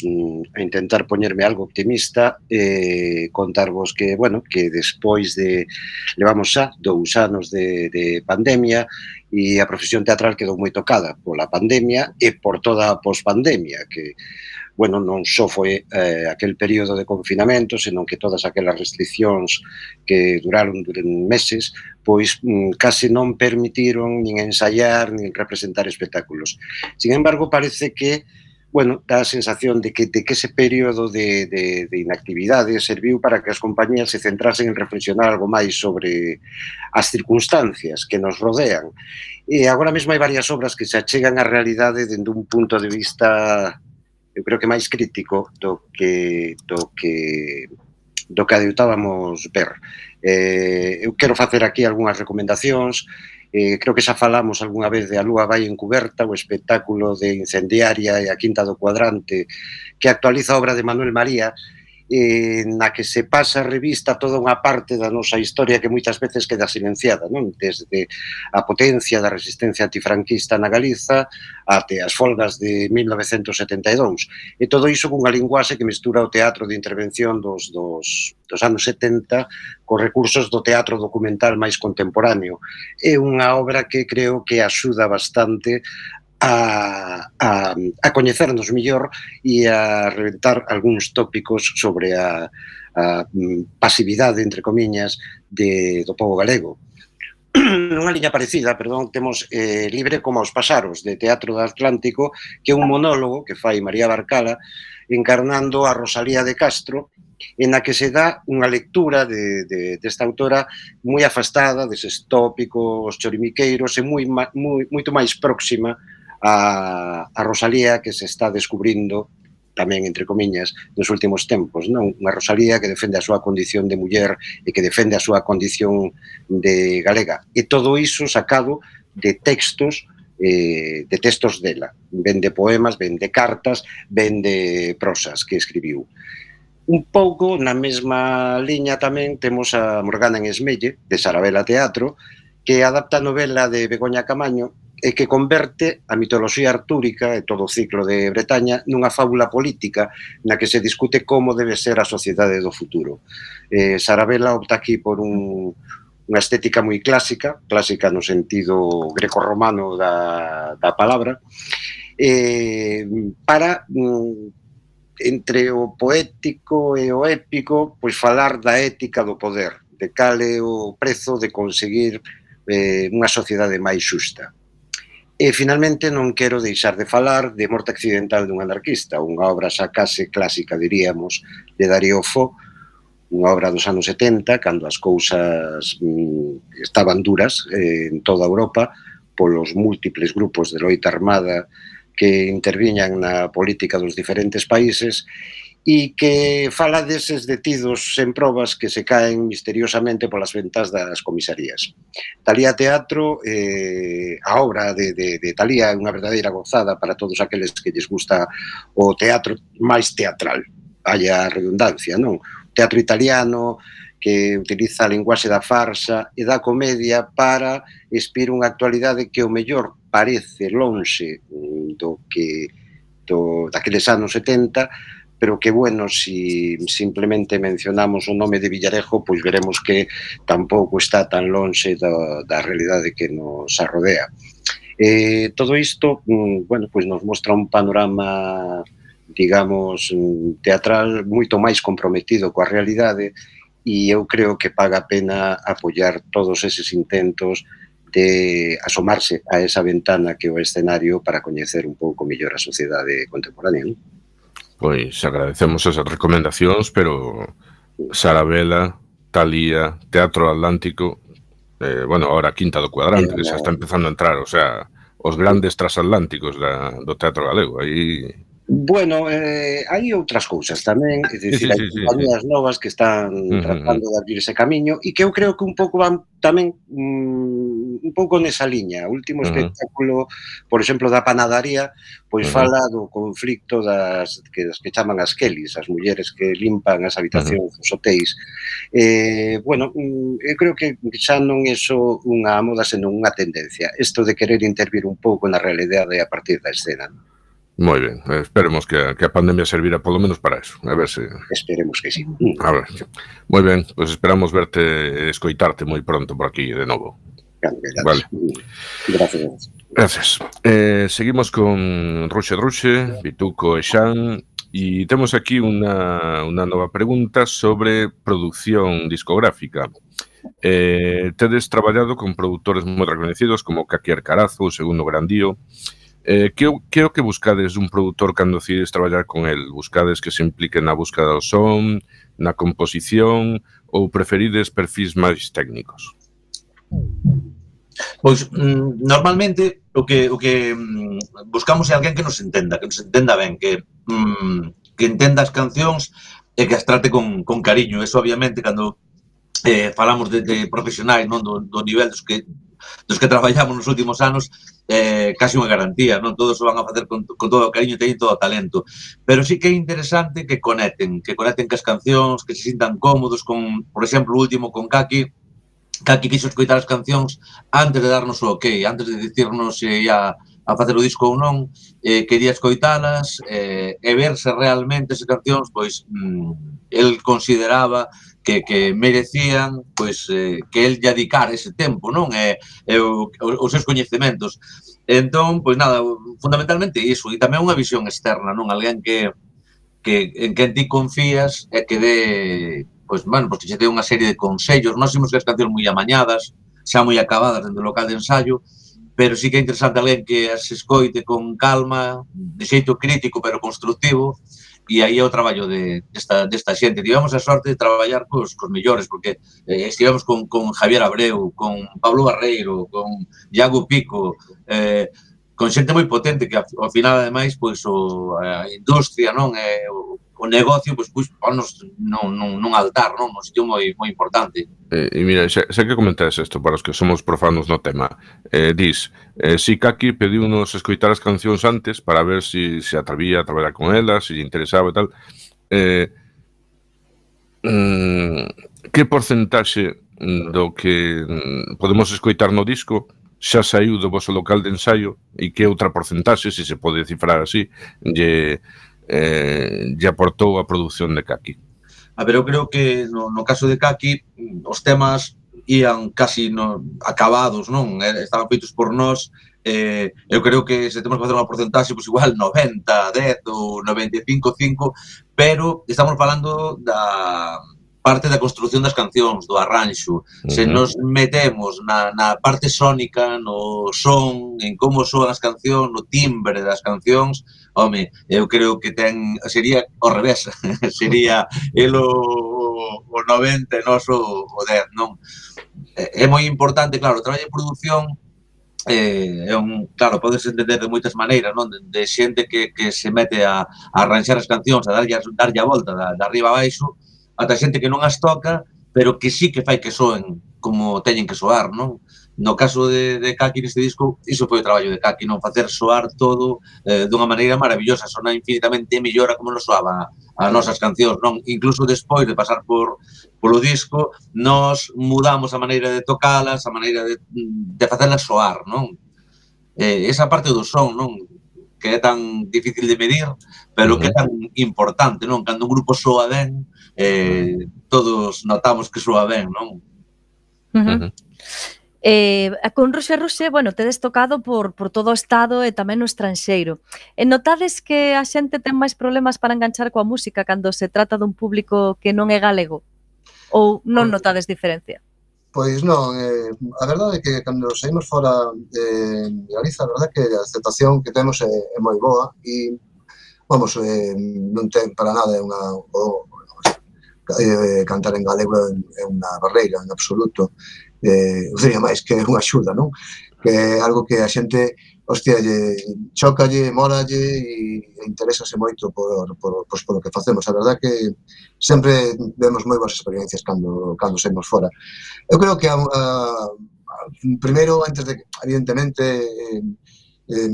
a intentar poñerme algo optimista e eh, contarvos que, bueno, que despois de, levamos xa dous anos de, de pandemia e a profesión teatral quedou moi tocada pola pandemia e por toda a pospandemia, que, bueno, non só foi eh, aquel período de confinamento, senón que todas aquelas restriccións que duraron durante meses, pois mm, case non permitiron nin ensaiar, nin representar espectáculos. Sin embargo, parece que, bueno, dá a sensación de que, de que ese período de, de, de inactividade serviu para que as compañías se centrasen en reflexionar algo máis sobre as circunstancias que nos rodean. E agora mesmo hai varias obras que se achegan á realidade dende un punto de vista, eu creo que máis crítico do que do que do que adeutábamos ver. Eh, eu quero facer aquí algunhas recomendacións. Eh, creo que xa falamos algunha vez de A Lúa vai encuberta, o espectáculo de Incendiaria e a Quinta do Cuadrante, que actualiza a obra de Manuel María, eh, na que se pasa a revista toda unha parte da nosa historia que moitas veces queda silenciada, non? Desde a potencia da resistencia antifranquista na Galiza até as folgas de mil novecentos setenta e dous. E todo iso cunha linguaxe que mestura o teatro de intervención dos, dos, dos anos setenta cos recursos do teatro documental máis contemporáneo. É unha obra que creo que axuda bastante A, a, a coñecernos mellor e a reventar algúns tópicos sobre a, a pasividade, entre comiñas, de, do povo galego. Nunha liña parecida, perdón, temos eh, Libre como os paxaros, de Teatro do Atlántico, que é un monólogo que fai María Barcala encarnando a Rosalía de Castro, en a que se dá unha lectura de, de, desta autora moi afastada deses tópicos chorimiqueiros e moi, moi, moito máis próxima a, a Rosalía que se está descubrindo tamén, entre comiñas, nos últimos tempos, non? Unha Rosalía que defende a súa condición de muller e que defende a súa condición de galega. E todo iso sacado de textos eh, de textos dela. Ben de poemas, ben de cartas, ben de prosas que escribiu. Un pouco na mesma liña tamén temos a Morgana en Esmelle, de Sarabela Teatro, que adapta a novela de Begoña Camaño e que converte a mitoloxía artúrica e todo o ciclo de Bretaña nunha fábula política na que se discute como debe ser a sociedade do futuro. Eh, Sarabela opta aquí por un, unha estética moi clásica, clásica no sentido grecorromano da, da palabra, eh, para, mm, entre o poético e o épico, pois falar da ética do poder, de cal é o prezo de conseguir eh, unha sociedade máis xusta. E, finalmente, non quero deixar de falar de Morte accidental dun anarquista, unha obra xa case clásica, diríamos, de Darío Fo, unha obra dos anos setenta, cando as cousas mm, estaban duras eh, en toda Europa, polos múltiples grupos de loita armada que interviñan na política dos diferentes países, e que fala deses detidos sen probas que se caen misteriosamente polas ventas das comisarías. Talía Teatro, eh, a obra de, de, de Talía é unha verdadeira gozada para todos aqueles que lles gusta o teatro máis teatral, haya redundancia, non? O teatro italiano, que utiliza a linguaxe da farsa e da comedia para expir unha actualidade que o mellor parece lonxe do que do, daqueles anos setenta, pero que, bueno, si simplemente mencionamos o nome de Villarejo, pois veremos que tampouco está tan lonxe da, da realidade que nos arrodea. Eh, todo isto, bueno, pois nos mostra un panorama, digamos, teatral moito máis comprometido coa realidade, e eu creo que paga a pena apoiar todos eses intentos de asomarse a esa ventana que é o escenario para coñecer un pouco mellor a sociedade contemporánea, non? Pois agradecemos esas recomendacións, pero Sarabela, Talía, Teatro Atlántico, eh, bueno, ahora Quinta do Cuadrante, que xa está empezando a entrar, o sea, os grandes transatlánticos da, do teatro galego, aí... Bueno, eh, hai outras cousas tamén, é dicir, Sí, sí, hai sí, sí, compañías sí. novas que están Ujú, tratando de abrir ese camiño e que eu creo que un pouco van tamén mm, un pouco nesa liña. O último Ujú. espectáculo, por exemplo, da Panadaría, pois Ujú. fala do conflicto das que, das que chaman as Kellys, as mulleres que limpan as habitacións dos hotéis. Eh, bueno, mm, eu creo que xa non é só unha moda, senón unha tendencia. Isto de querer intervir un pouco na realidade a partir da escena. Moi ben, eh, esperemos que a, que a pandemia servira polo menos para eso, a ver se... Esperemos que sí. A ver, moi ben, pois pues esperamos verte e escoitarte moi pronto por aquí de novo. Vale. Gracias. Gracias. Eh, seguimos con Ruxe Ruxe, Vituco e Xan, e temos aquí unha, unha nova pregunta sobre produción discográfica. Eh, tedes traballado con produtores moi recoñecidos como Kaki Arcarazo, o Segundo Grandío. Eh, que, que é o que buscades dun produtor cando decides traballar con el? Buscades que se implique na búsqueda do son, na composición, ou preferides perfis máis técnicos? Pois, mm, normalmente, o que, o que mm, buscamos é alguén que nos entenda, que nos entenda ben, que, mm, que entenda as cancións e que as trate con, con cariño. Eso, obviamente, cando eh, falamos de, de profesionais, non, do, do nivel dos que dos que traballamos nos últimos anos, eh, casi unha garantía, non? Todos o van a facer con, con todo o cariño e teñen todo o talento. Pero sí que é interesante que conecten, que conecten cas cancións, que se sintan cómodos con, por exemplo, o último con Kaki. Kaki quixo escoitar as cancións antes de darnos o ok, antes de dicirnos se ia a facer o disco ou non, eh, quería escoitalas eh, e ver se realmente esas cancións, pois, mm, el consideraba que, que merecían, pois, eh, que el lle dedicara ese tempo, non? E, e o, os seus coñecementos. Entón, pois nada, fundamentalmente iso, e tamén unha visión externa, non? Alguén que, que en quen ti confías e que dé, pois, bueno, pois que xe dé unha serie de consellos. Nós imos que as cancións moi amañadas, xa moi acabadas dentro do local de ensayo, pero sí que é interesante alguén que as escoite con calma, de xeito crítico pero constructivo, e aí é o traballo de, desta, desta xente. Tivemos a sorte de traballar cos, cos mellores, porque eh, estivemos con, con Javier Abreu, con Pablo Barreiro, con Iago Pico, eh, con xente moi potente que ao final, ademais, pois o, a industria, non, é o, o negocio, pois, pois ponos nun, nun, nun altar, non, un sitio moi, moi importante. Eh, e mira, xa, xa que comentas isto, para os que somos profanos no tema, eh, dis, eh, si Kaki pediu-nos escoitar as cancións antes para ver si se atrevía a traballar con elas, si lle interesaba e tal, eh, mm, que porcentaxe do que mm, podemos escoitar no disco xa saiu do vosso local de ensaio e que outra porcentaxe, se se pode cifrar así, lle, eh, lle aportou a produción de Kaki? A ver, eu creo que no, no caso de Kaki os temas ían casi no, acabados, non? Estaban feitos por nós. Eh, eu creo que se temos que facer unha porcentaxe, pois igual noventa, dez ou noventa e cinco, cinco, pero estamos falando da parte da construción das cancións, do arranxo. Uh-huh. Se nos metemos na, na parte sónica, no son, en como soan as cancións, no timbre das cancións, home, eu creo que ten, sería ao revés, sería el o, o noventa e nos o, o dez, non? É, é moi importante, claro, o traballo de produción eh, é un, claro, podes entender de moitas maneiras, non? De, de xente que, que se mete a, a arranxar as cancións, a darlle, darlle a volta da, da arriba a baixo, ata xente que non as toca, pero que sí que fai que soen como teñen que soar, non? No caso de, de Kaki neste disco, iso foi o traballo de Kaki, non? Facer soar todo eh, dunha maneira maravillosa, sona infinitamente mellor a como nos soaba as nosas cancións, non? Incluso despois de pasar por polo disco, nós mudamos a maneira de tocalas, a maneira de, de facelas soar, non? Eh, esa parte do son, non? Que é tan difícil de medir, pero uh-huh. que é tan importante, non? Cando un grupo soa ben, eh, todos notamos que soa ben, non? Uh-huh. Uh-huh. Eh, con Ruxe Ruxe, bueno, tedes tocado por, por todo o estado e tamén no estranxeiro. E notades que a xente ten máis problemas para enganchar coa música cando se trata dun público que non é galego? Ou non notades diferencia? Pois non, eh, a verdade é que cando saímos fora de Galiza, a verdade é que a aceptación que temos é, é moi boa e, vamos, eh, non ten para nada unha... O, eh, cantar en galego é unha barreira, en absoluto. Eh, eu diría máis que é unha axuda, non? Que é algo que a xente, hostia, lle, chocalle, moralle e interésase moito por, por, por, por o que facemos. A verdade que sempre vemos moi boas experiencias cando, cando saímos fora. Eu creo que a, a, a, primeiro, antes de, evidentemente, eh, eh,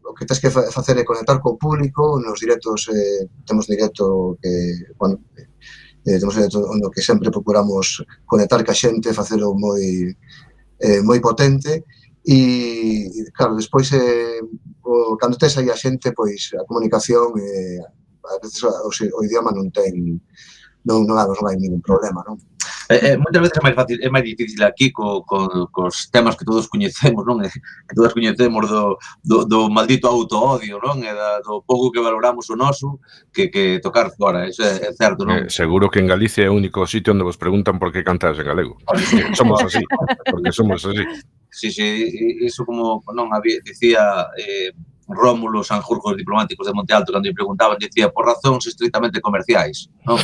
o que tens que facer é conectar co público. Nos directos, eh, temos directo que, bueno, Eh, temos onde que sempre procuramos conectar ca xente, facelo moi eh, moi potente e, claro, despois eh, o, cando tes aí a xente, pois a comunicación eh, a veces o, o idioma non ten non, non, non hai ningún problema, non? Eh, eh, moitas veces é máis fácil, é máis difícil aquí co, co, cos temas que todos coñecemos, non? Que todos coñecemos do, do, do maldito auto-odio, non? E da, do pouco que valoramos o noso que, que tocar fora, eso é, é certo, non? Eh, seguro que en Galicia é o único sitio onde vos preguntan por que cantas en galego. Somos así, porque somos así. Sí, sí, iso como, non, había, dicía... Eh, Rómulo Sanjurjo, diplomáticos de Monte Alto, cando me preguntaban, dicía, por razóns estritamente comerciais, non?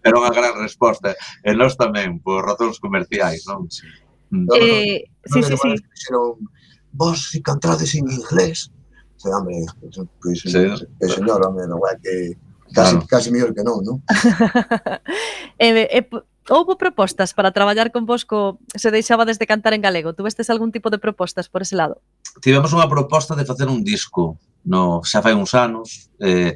Era unha gran resposta. E nós tamén, por razóns comerciais, non? Eh, sí, sí, sí. Vos, se cantades en inglés, se, hombre, pois, señor, hombre, non é que casi mellor que non, non? Eh, eh, houbo propostas para traballar con vos co se deixaba desde cantar en galego? Tuvestes algún tipo de propostas por ese lado? Tivemos unha proposta de facer un disco, no, xa fai uns anos. Eh,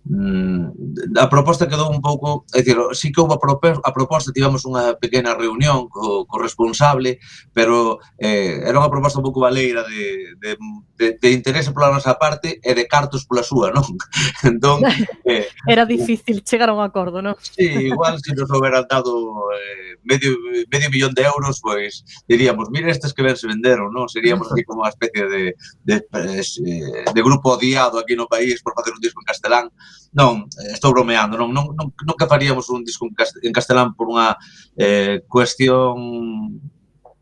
mm, a proposta quedou un pouco... É dicir, sí que houve a, propo, a proposta, tivemos unha pequena reunión co, co responsable, pero eh, era unha proposta un pouco baleira de, de, de, de interese pola nosa parte e de cartos pola súa, non? Entón, eh, era difícil chegar a un acordo, non? Sí, igual se nos houberan dado eh, medio, medio millón de euros, pois diríamos, mira estes que ben se venderon, non? Seríamos así como unha especie de, de, de grupo odiado aquí no país por facer un disco en castelán. Non, estou bromeando, non, non, non, non que faríamos un disco en castelán por unha eh, cuestión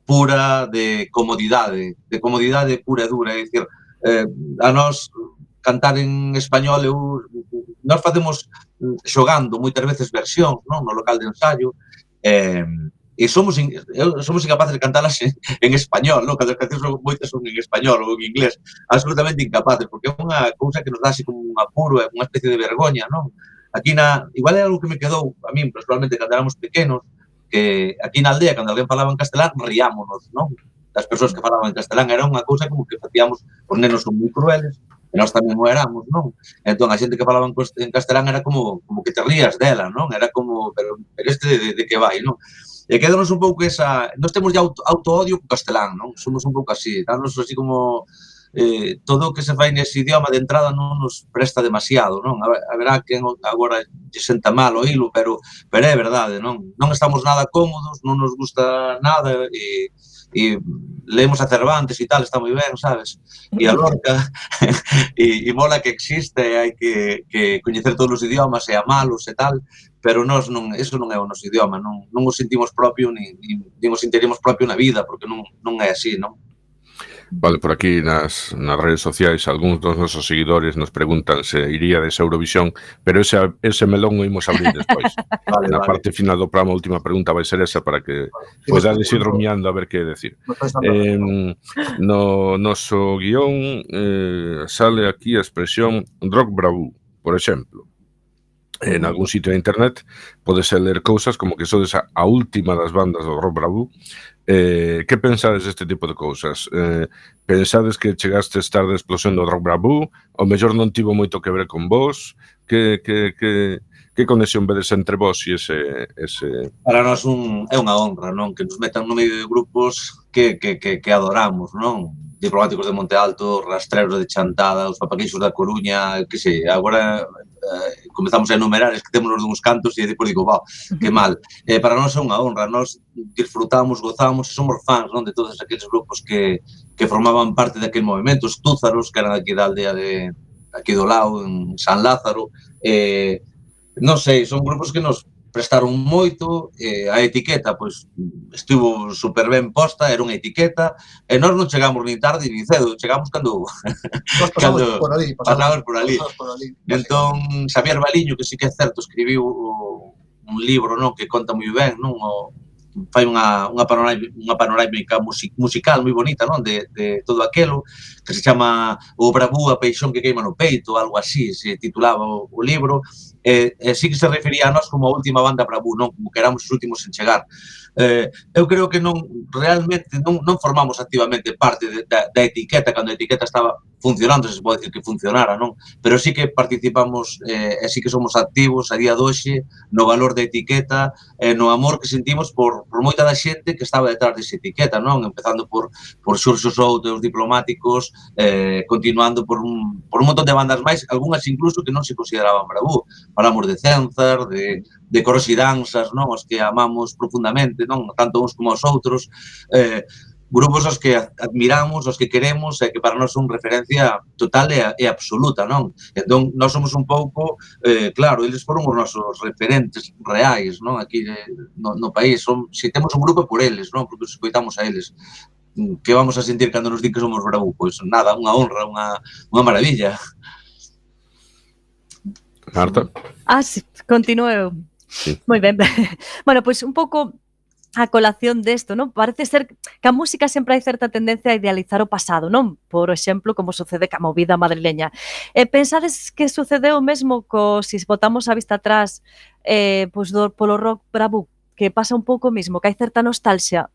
pura de comodidade, de comodidade pura e dura, é dicir, eh, a nós cantar en español, eu, nós facemos xogando moitas veces versións, non, no local de ensaio, eh, e somos, in, somos incapaces de cantarlas en, en español, non? Cando as cancións son, moitas son en español ou en inglés, absolutamente incapaces, porque é unha cousa que nos dá así como un apuro, é unha especie de vergoña, non? Aquí na, igual é algo que me quedou a min, personalmente, cando éramos pequenos, que aquí na aldea, cando alguén falaba en castelán, riámonos, non? Das persoas que falaban en castelán, era unha cousa como que facíamos, os nenos son moi crueles, e nós tamén o éramos, non? Entón, a xente que falaba en castelán era como, como que te rías dela, non? Era como, pero, pero este de, de, de que vai, non? E quedanos un pouco esa... Nós temos ya auto, auto-odio co castelán, non? Somos un pouco así, danos así como... Eh, todo o que se fai nese idioma de entrada non nos presta demasiado, non? A verá que agora lle senta mal o hilo, pero, pero é verdade, non? Non estamos nada cómodos, non nos gusta nada e... e leemos a Cervantes e tal, está moi ben, sabes? E a Lorca, e, e mola que existe, hai que, que coñecer todos os idiomas e amalos e tal, pero nós non, eso non é o noso idioma, non, non o sentimos propio, ni, ni, ni o sentiremos propio na vida, porque non, non é así, non? Vale, por aquí nas, nas redes sociais algúns dos nosos seguidores nos preguntan se iría desa Eurovisión, pero ese, ese melón o imos abrir despois. Vale, na vale. Parte final do programa, a última pregunta vai ser esa para que vale. Podades ir rumiando a ver que decir. Eh, no noso guión eh, sale aquí a expresión rock bravú, por exemplo. En algún sitio de internet podese ler cousas como que sodes a, a última das bandas do rock bravú. Eh, que pensades deste tipo de cousas? Eh, pensades que chegastes tarde a explosión do rock bravú? O mellor non tivo moito que ver con vos? Que, que, que, que conexión vedes entre vos e ese, ese... Para nós un, é unha honra, non? Que nos metan no medio de grupos que, que, que, que adoramos, non? Diplomáticos de Monte Alto, Rastreros de Chantada, os Papaqueixos da Coruña, que sei, agora eh, comezamos a enumerar, es que temos os uns cantos e depois digo, va, que mal. Eh, para nós é unha honra, nós disfrutamos, gozamos e somos fans, non? De todos aqueles grupos que, que formaban parte daquele movimento, os Túzaros, que eran aquí da aldea de aquí do lado, en San Lázaro, eh, non sei, son grupos que nos prestaron moito, eh, a etiqueta, pois, estivo super ben posta, era unha etiqueta, e nós non chegamos nin tarde nin cedo, chegamos cando... Nós pasamos cando por ali, pasamos, pasamos por ali. Pasamos por ali. Entón, Xavier Baliño, que sí que é certo, escribiu un libro, non, que conta moi ben, non, o, fai unha, unha, panorámica, unha panorámica music, musical moi bonita, non, de, de todo aquelo, que se chama O Bravú, a peixón que queima no peito, algo así, se titulaba o, o libro, e, e sí que se refería a nós como a última banda Bravú, non, como que éramos os últimos en chegar. Eh, eu creo que non, realmente, non, non formamos activamente parte de, da, da etiqueta, cando a etiqueta estaba funcionando, se pode dicir que funcionara, non? Pero sí que participamos, eh, e sí que somos activos a día de hoxe no valor da etiqueta, eh, no amor que sentimos por, por moita da xente que estaba detrás desa etiqueta, non? Empezando por, por Xurxo Souto, os Diplomáticos, eh, continuando por un, por un montón de bandas máis, algunhas incluso que non se consideraban Bravú. Falamos de Cenzar, de, de Coros e Danzas, non? Os que amamos profundamente, non? Tanto uns como os outros, eh, grupos os que admiramos, os que queremos e que para nós son referencia total e, e absoluta, non? Entón, nós somos un pouco, eh, claro, eles foron os nosos referentes reais, non? Aquí eh, no, no país, son, se temos un grupo por eles, non? Porque os escoitamos a eles. Que vamos a sentir cando nos di que somos Bravú? Pois nada, unha honra, unha, unha maravilla. Marta? Ah, sí, continúo. Sí. Moi ben. Bueno, pois un pouco a colación desto, non? Parece ser que a música sempre hai certa tendencia a idealizar o pasado, non? Por exemplo, como sucede ca movida madrileña. E pensades que sucedeu o mesmo co, se botamos a vista atrás, eh, pois do, polo rock Bravú, que pasa un pouco o mesmo, que hai certa nostalgia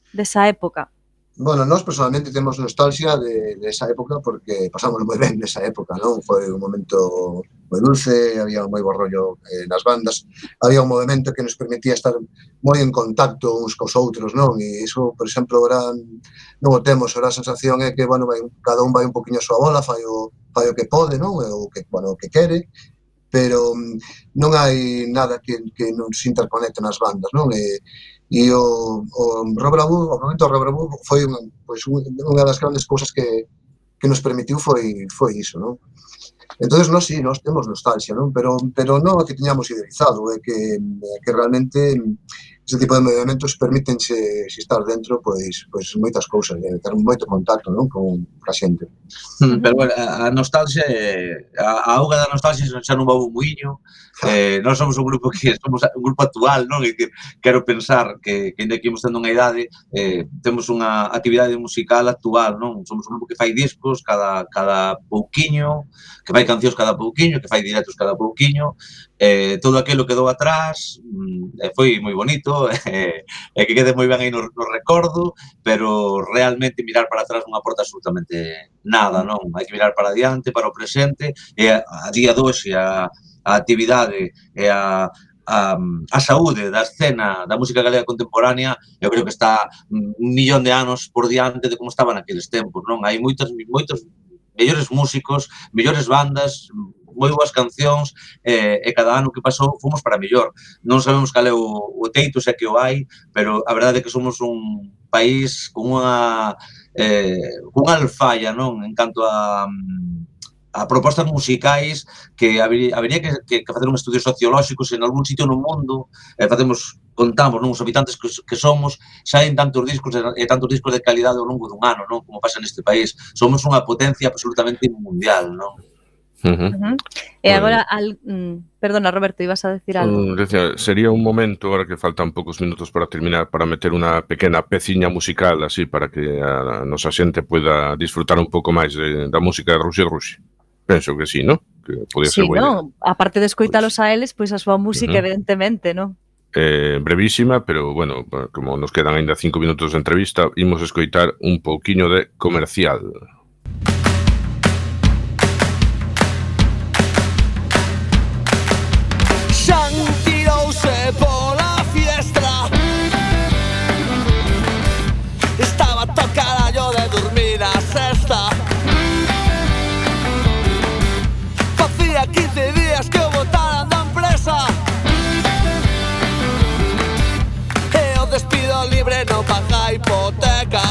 desa época? Bueno, nós personalmente temos nostalgia de, de esa época porque pasamos moi ben nesa época, non? Foi un momento moi dulce, había un moi bo rollo eh, nas bandas, había un movimento que nos permitía estar moi en contacto uns cos outros, non? E iso, por exemplo, ahora non o temos, ahora a sensación é que, bueno, vai, cada un vai un poquinho a súa bola, fai o, fai o que pode, non? O que, bueno, o que quere, pero non hai nada que, que nos interconecte nas bandas, non? E, E o, o Rock Bravú, o momento do Rock Bravú foi unha, pois, unha das grandes cousas que, que nos permitiu foi, foi iso, non? Entón, nós sí, nós temos nostalgia, non? Pero, pero non o que tiñamos idealizado, é que, que realmente ese tipo de movimentos permítense, se estar dentro, pois, pois moitas cousas, de ter moito contacto, non? Con a xente. Pero, bueno, a nostalgia, a, a auga da nostalgia xa non va un muiño. Eh, nós somos un grupo que somos un grupo actual, non? E que quero pensar que, que ainda que imos tendo unha idade, eh, temos unha actividade musical actual, non? Somos un grupo que fai discos cada, cada pouquiño, que fai cancións cada pouquiño, que fai directos cada pouquiño, eh, todo aquilo quedou atrás, eh, foi moi bonito, eh, e que quede moi ben aí no, no recordo, pero realmente mirar para atrás non aporta absolutamente nada, non? Hai que mirar para adiante, para o presente, e a, a día de hoxe, a a actividade e a, a, a saúde da escena da música galega contemporánea, eu creo que está un millón de anos por diante de como estaban naqueles tempos, non? Hai moitos, moitos mellores músicos, mellores bandas, moi boas cancións, eh, e cada ano que pasou fomos para mellor. Non sabemos cal é o, o teito, se é que o hai, pero a verdade é que somos un país con unha, eh, unha alfalla, non? En canto a... a propostas musicais que habería, habería que, que, que facer un estudio sociolóxico se en algún sitio no mundo eh, facemos, contamos, non, os habitantes que, que somos, saen tantos discos e tantos discos de calidade ao longo dun ano, non, como pasa neste país. Somos unha potencia absolutamente mundial, non? Uh-huh. Uh-huh. E agora, al, mm, perdona Roberto, ibas a decir algo. Uh, decía, sería un momento, ahora que faltan poucos minutos para terminar, para meter unha pequena peciña musical así para que a, a nosa xente pueda disfrutar un pouco máis de, da música de Ruxe Ruxe. Penso que sí, ¿no? Que podía sí, ser boa ¿no? idea. Aparte de escoitalos a eles, pois pues a súa música, uh-huh. evidentemente, ¿no? Eh, brevísima, pero, bueno, como nos quedan ainda cinco minutos de entrevista, imos escoitar un pouquiño de Comercial. non paga a hipoteca.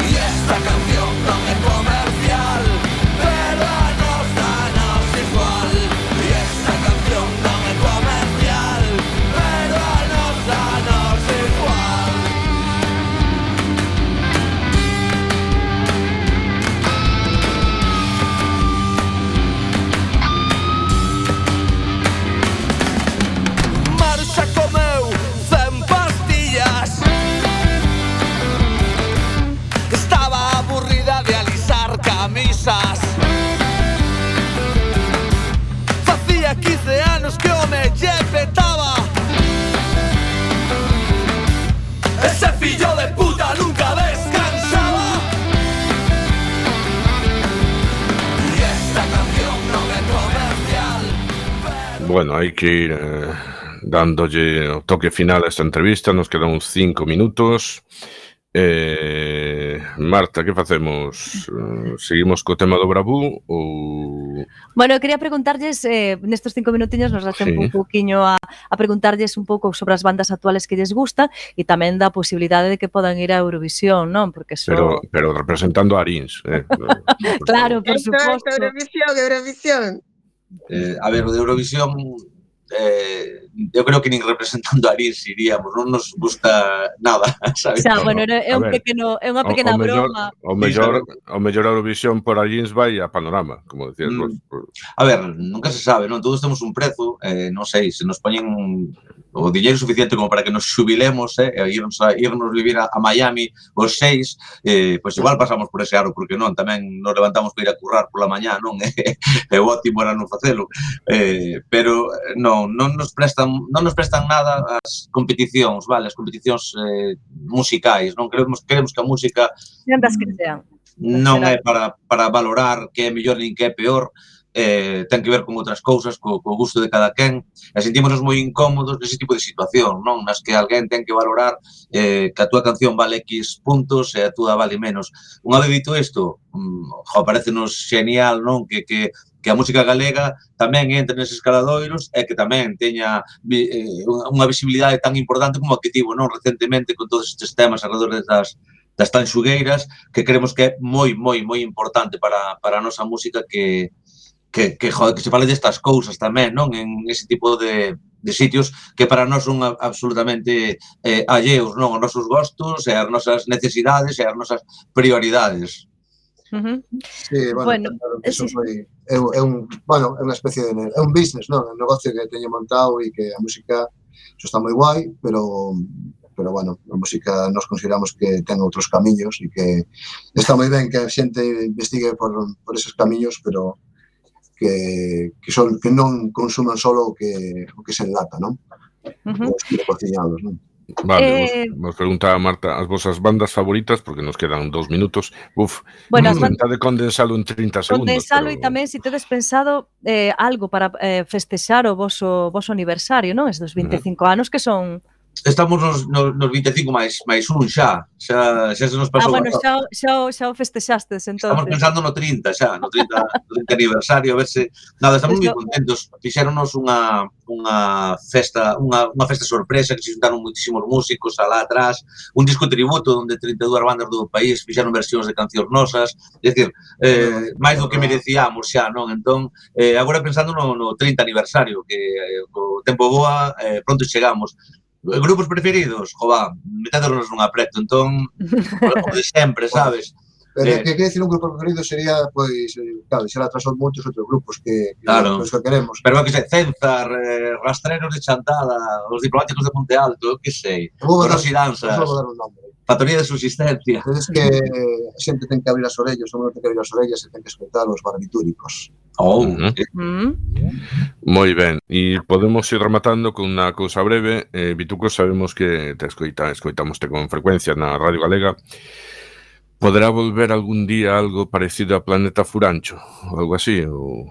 E esta canción non é comercial, pero a nos danos igual. E esta canción non é comercial, pero a nos danos igual. Marcha comeu cen pastillas. Estaba aburrida de alisar camisas. Facía quince anos que o me lle petaba. Ese fillo de puta nunca descansaba. Y esta canción non é comercial. Bueno, hai que ir eh, dándolle o toque final a esta entrevista. Nos quedan uns cinco minutos. Eh, Marta, que facemos? Eh, seguimos co tema do Bravú ou... Bueno, eu quería preguntarlles, eh, nestes cinco minutiños nos dá tempo Sí. un pouquiño a, a preguntarlles un pouco sobre as bandas actuales que lles gusta e tamén da posibilidade de que podan ir a Eurovisión, non? Porque so... Pero, pero representando a Arins. Eh. Claro, por Esto, esto, suposto. Eurovisión, Eurovisión. Eh, a ver, o de Eurovisión, eh, eu creo que nin representando a Arins iríamos, non nos gusta nada, sabes? Xa, No, bueno, no. é A un ver, pequeno, é unha O, pequena o mellor, broma. o mellor, o mellor Eurovisión por Arins vai a Panorama, como decías Mm. vos. A ver, nunca se sabe, non? Todos temos un prezo, eh, non sei, se nos poñen o dinheiro suficiente como para que nos xubilemos, eh, e irnos, a, irnos vivir a, a Miami os seis, eh, pois igual pasamos por ese aro, porque non, tamén nos levantamos para ir a currar pola mañá, non? E o ótimo era non facelo. Eh, pero non, non nos prestan, non nos prestan nada as competicións, vale, as competicións eh, musicais, non? Queremos, queremos que a música Sean das que sean. non é para, para valorar que é mellor nin que é peor, eh, ten que ver con outras cousas, co, co gusto de cada quen, e sentímonos moi incómodos nese tipo de situación, non? Nas que alguén ten que valorar eh, que a túa canción vale X puntos e a túa vale menos. Unha vez dito isto, mm, jo, parecenos genial, non? Que, que, que a música galega tamén entre neses caladoiros e que tamén teña vi- eh, unha visibilidade tan importante como a que tivo, non? Recentemente con todos estes temas alrededor das das tanxugueiras, que creemos que é moi, moi, moi importante para, para a nosa música que, que, que, joder, que se fale destas cousas tamén, non? En ese tipo de, de sitios que para nós son a- absolutamente eh, alleos, non? Os nosos gostos e as nosas necesidades e as nosas prioridades. Ujú. Sí, bueno, Bueno, claro que sí, eso sí. foi é, un- é un, bueno, é unha especie de é un business, non? Un negocio que teño montado e que a música eso está moi guai, pero pero bueno, a música nos consideramos que ten outros camiños e que está moi ben que a xente investigue por, por esos camiños, pero que, que, son, que non consuman solo o que, o que se enlata, non? Ujú. Os cocinados, non? Vale, Eh, vos, vos preguntaba Marta as vosas bandas favoritas, porque nos quedan dos minutos. Uf, Bueno, as bandas intentade condensalo en trinta segundos. condensalo pero- e tamén se tedes pensado eh, algo para eh, festexar o voso, voso aniversario, non? Estes vinte e cinco anos que son... Estamos nos, nos, nos vinte e cinco máis, máis un xa, xa, xa se nos Ah, pasou. bueno, a- xa, o- xa, o- xa o festexastes, Estamos entonces. pensando no trinta xa, no trinta, no trinta aniversario, a ver se... Nada, estamos moi Eso- contentos. Fixéronos unha, unha festa, unha, unha festa sorpresa que se xuntaron moitísimos músicos alá atrás, un disco tributo onde trinta e dúas bandas do país fixeron versións de cancións nosas, é dicir, eh, máis do que merecíamos xa, non? Entón, eh, agora pensando no, no trinta aniversario, que eh, co tempo boa, eh, pronto chegamos. Grupos preferidos, jova, metédonos nun apreto, entón, como de sempre, sabes? Pero Eh. que quer decir un grupo preferido sería, pois, eh, claro, deixar atrás os moitos outros grupos que, que Claro. os que queremos. Pero que sei, Cenzar, eh, Rastreros de Chantada, os Diplomáticos de Monte Alto, que sei, Vou dar, Coros e Danzas, vou dar un nombre. Factoría de Subsistencia. Es que a xente ten que abrir as orellas, o mundo ten que abrir as orellas e ten que escoitar os barbitúricos. Oh, Ujú. Mm. Moi ben, e podemos ir rematando con unha cousa breve. Eh, Vituco, sabemos que te escoita, escoitamoste con frecuencia na Radio Galega. Poderá volver algún día algo parecido a Planeta Furancho? Ou algo así? Ou...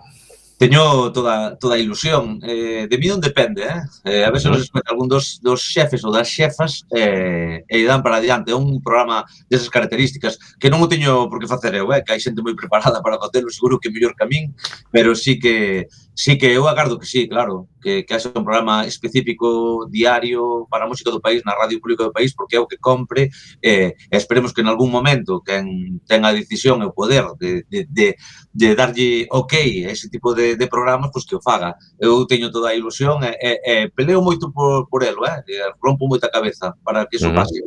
Teño toda, toda a ilusión. Eh, de mí non depende, eh? eh a ver se nos escoita algún dos, dos xefes ou das xefas eh, e dan para adiante. É un programa desas características que non o teño por que facer eu, eh? Que hai xente moi preparada para facelo, seguro que mellor que a min, pero sí que Sí que eu agardo que sí, claro, que, que haxa un programa específico diario para a música do país na radio pública do país, porque é o que compre, eh, e esperemos que en algún momento quen ten a decisión e o poder de, de, de, de darlle ok a ese tipo de, de programas, pois que o faga. Eu teño toda a ilusión e, e, e peleo moito por, por elo, eh? E rompo moita cabeza para que iso Ujú. pase.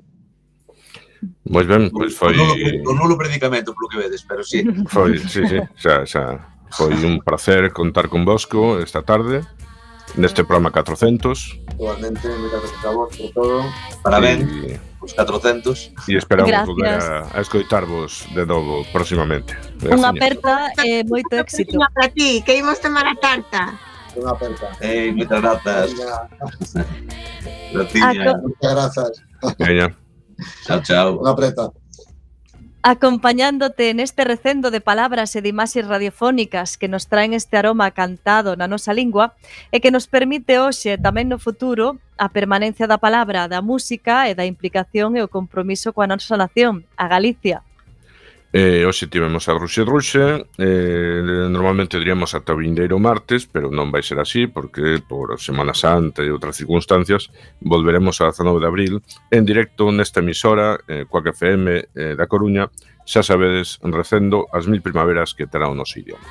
Pois ben, pois foi... O nulo, o nulo predicamento, polo que vedes, pero sí. Foi, sí, sí, xa, xa. Foi un placer contar con vosco esta tarde neste programa catrocentos. Igualmente, moitas gracias a vos por todo. Parabéns, E, os catrocentos. e esperamos Gracias. volver a, a escoitarvos de novo próximamente. Unha Graciñas. aperta e moito éxito. Unha para ti, que imos tomar a tarta. Unha aperta. Ei, moitas grazas. Venga, Graciña. Aco- moitas grazas. Veña. Chao, chao. Unha aperta. Acompañándote neste recendo de palabras e de imaxes radiofónicas que nos traen este aroma cantado na nosa lingua e que nos permite hoxe e tamén no futuro a permanencia da palabra, da música e da implicación e o compromiso coa nosa nación, a Galicia. Eh, hoxe tivemos a Ruxe Ruxe, eh, normalmente diríamos ata o vindeiro martes, pero non vai ser así, porque por Semana Santa e outras circunstancias volveremos a dezanove de abril en directo nesta emisora, eh, Cuac F M eh, da Coruña, xa sabedes, recendo as mil primaveras que terá o noso idioma.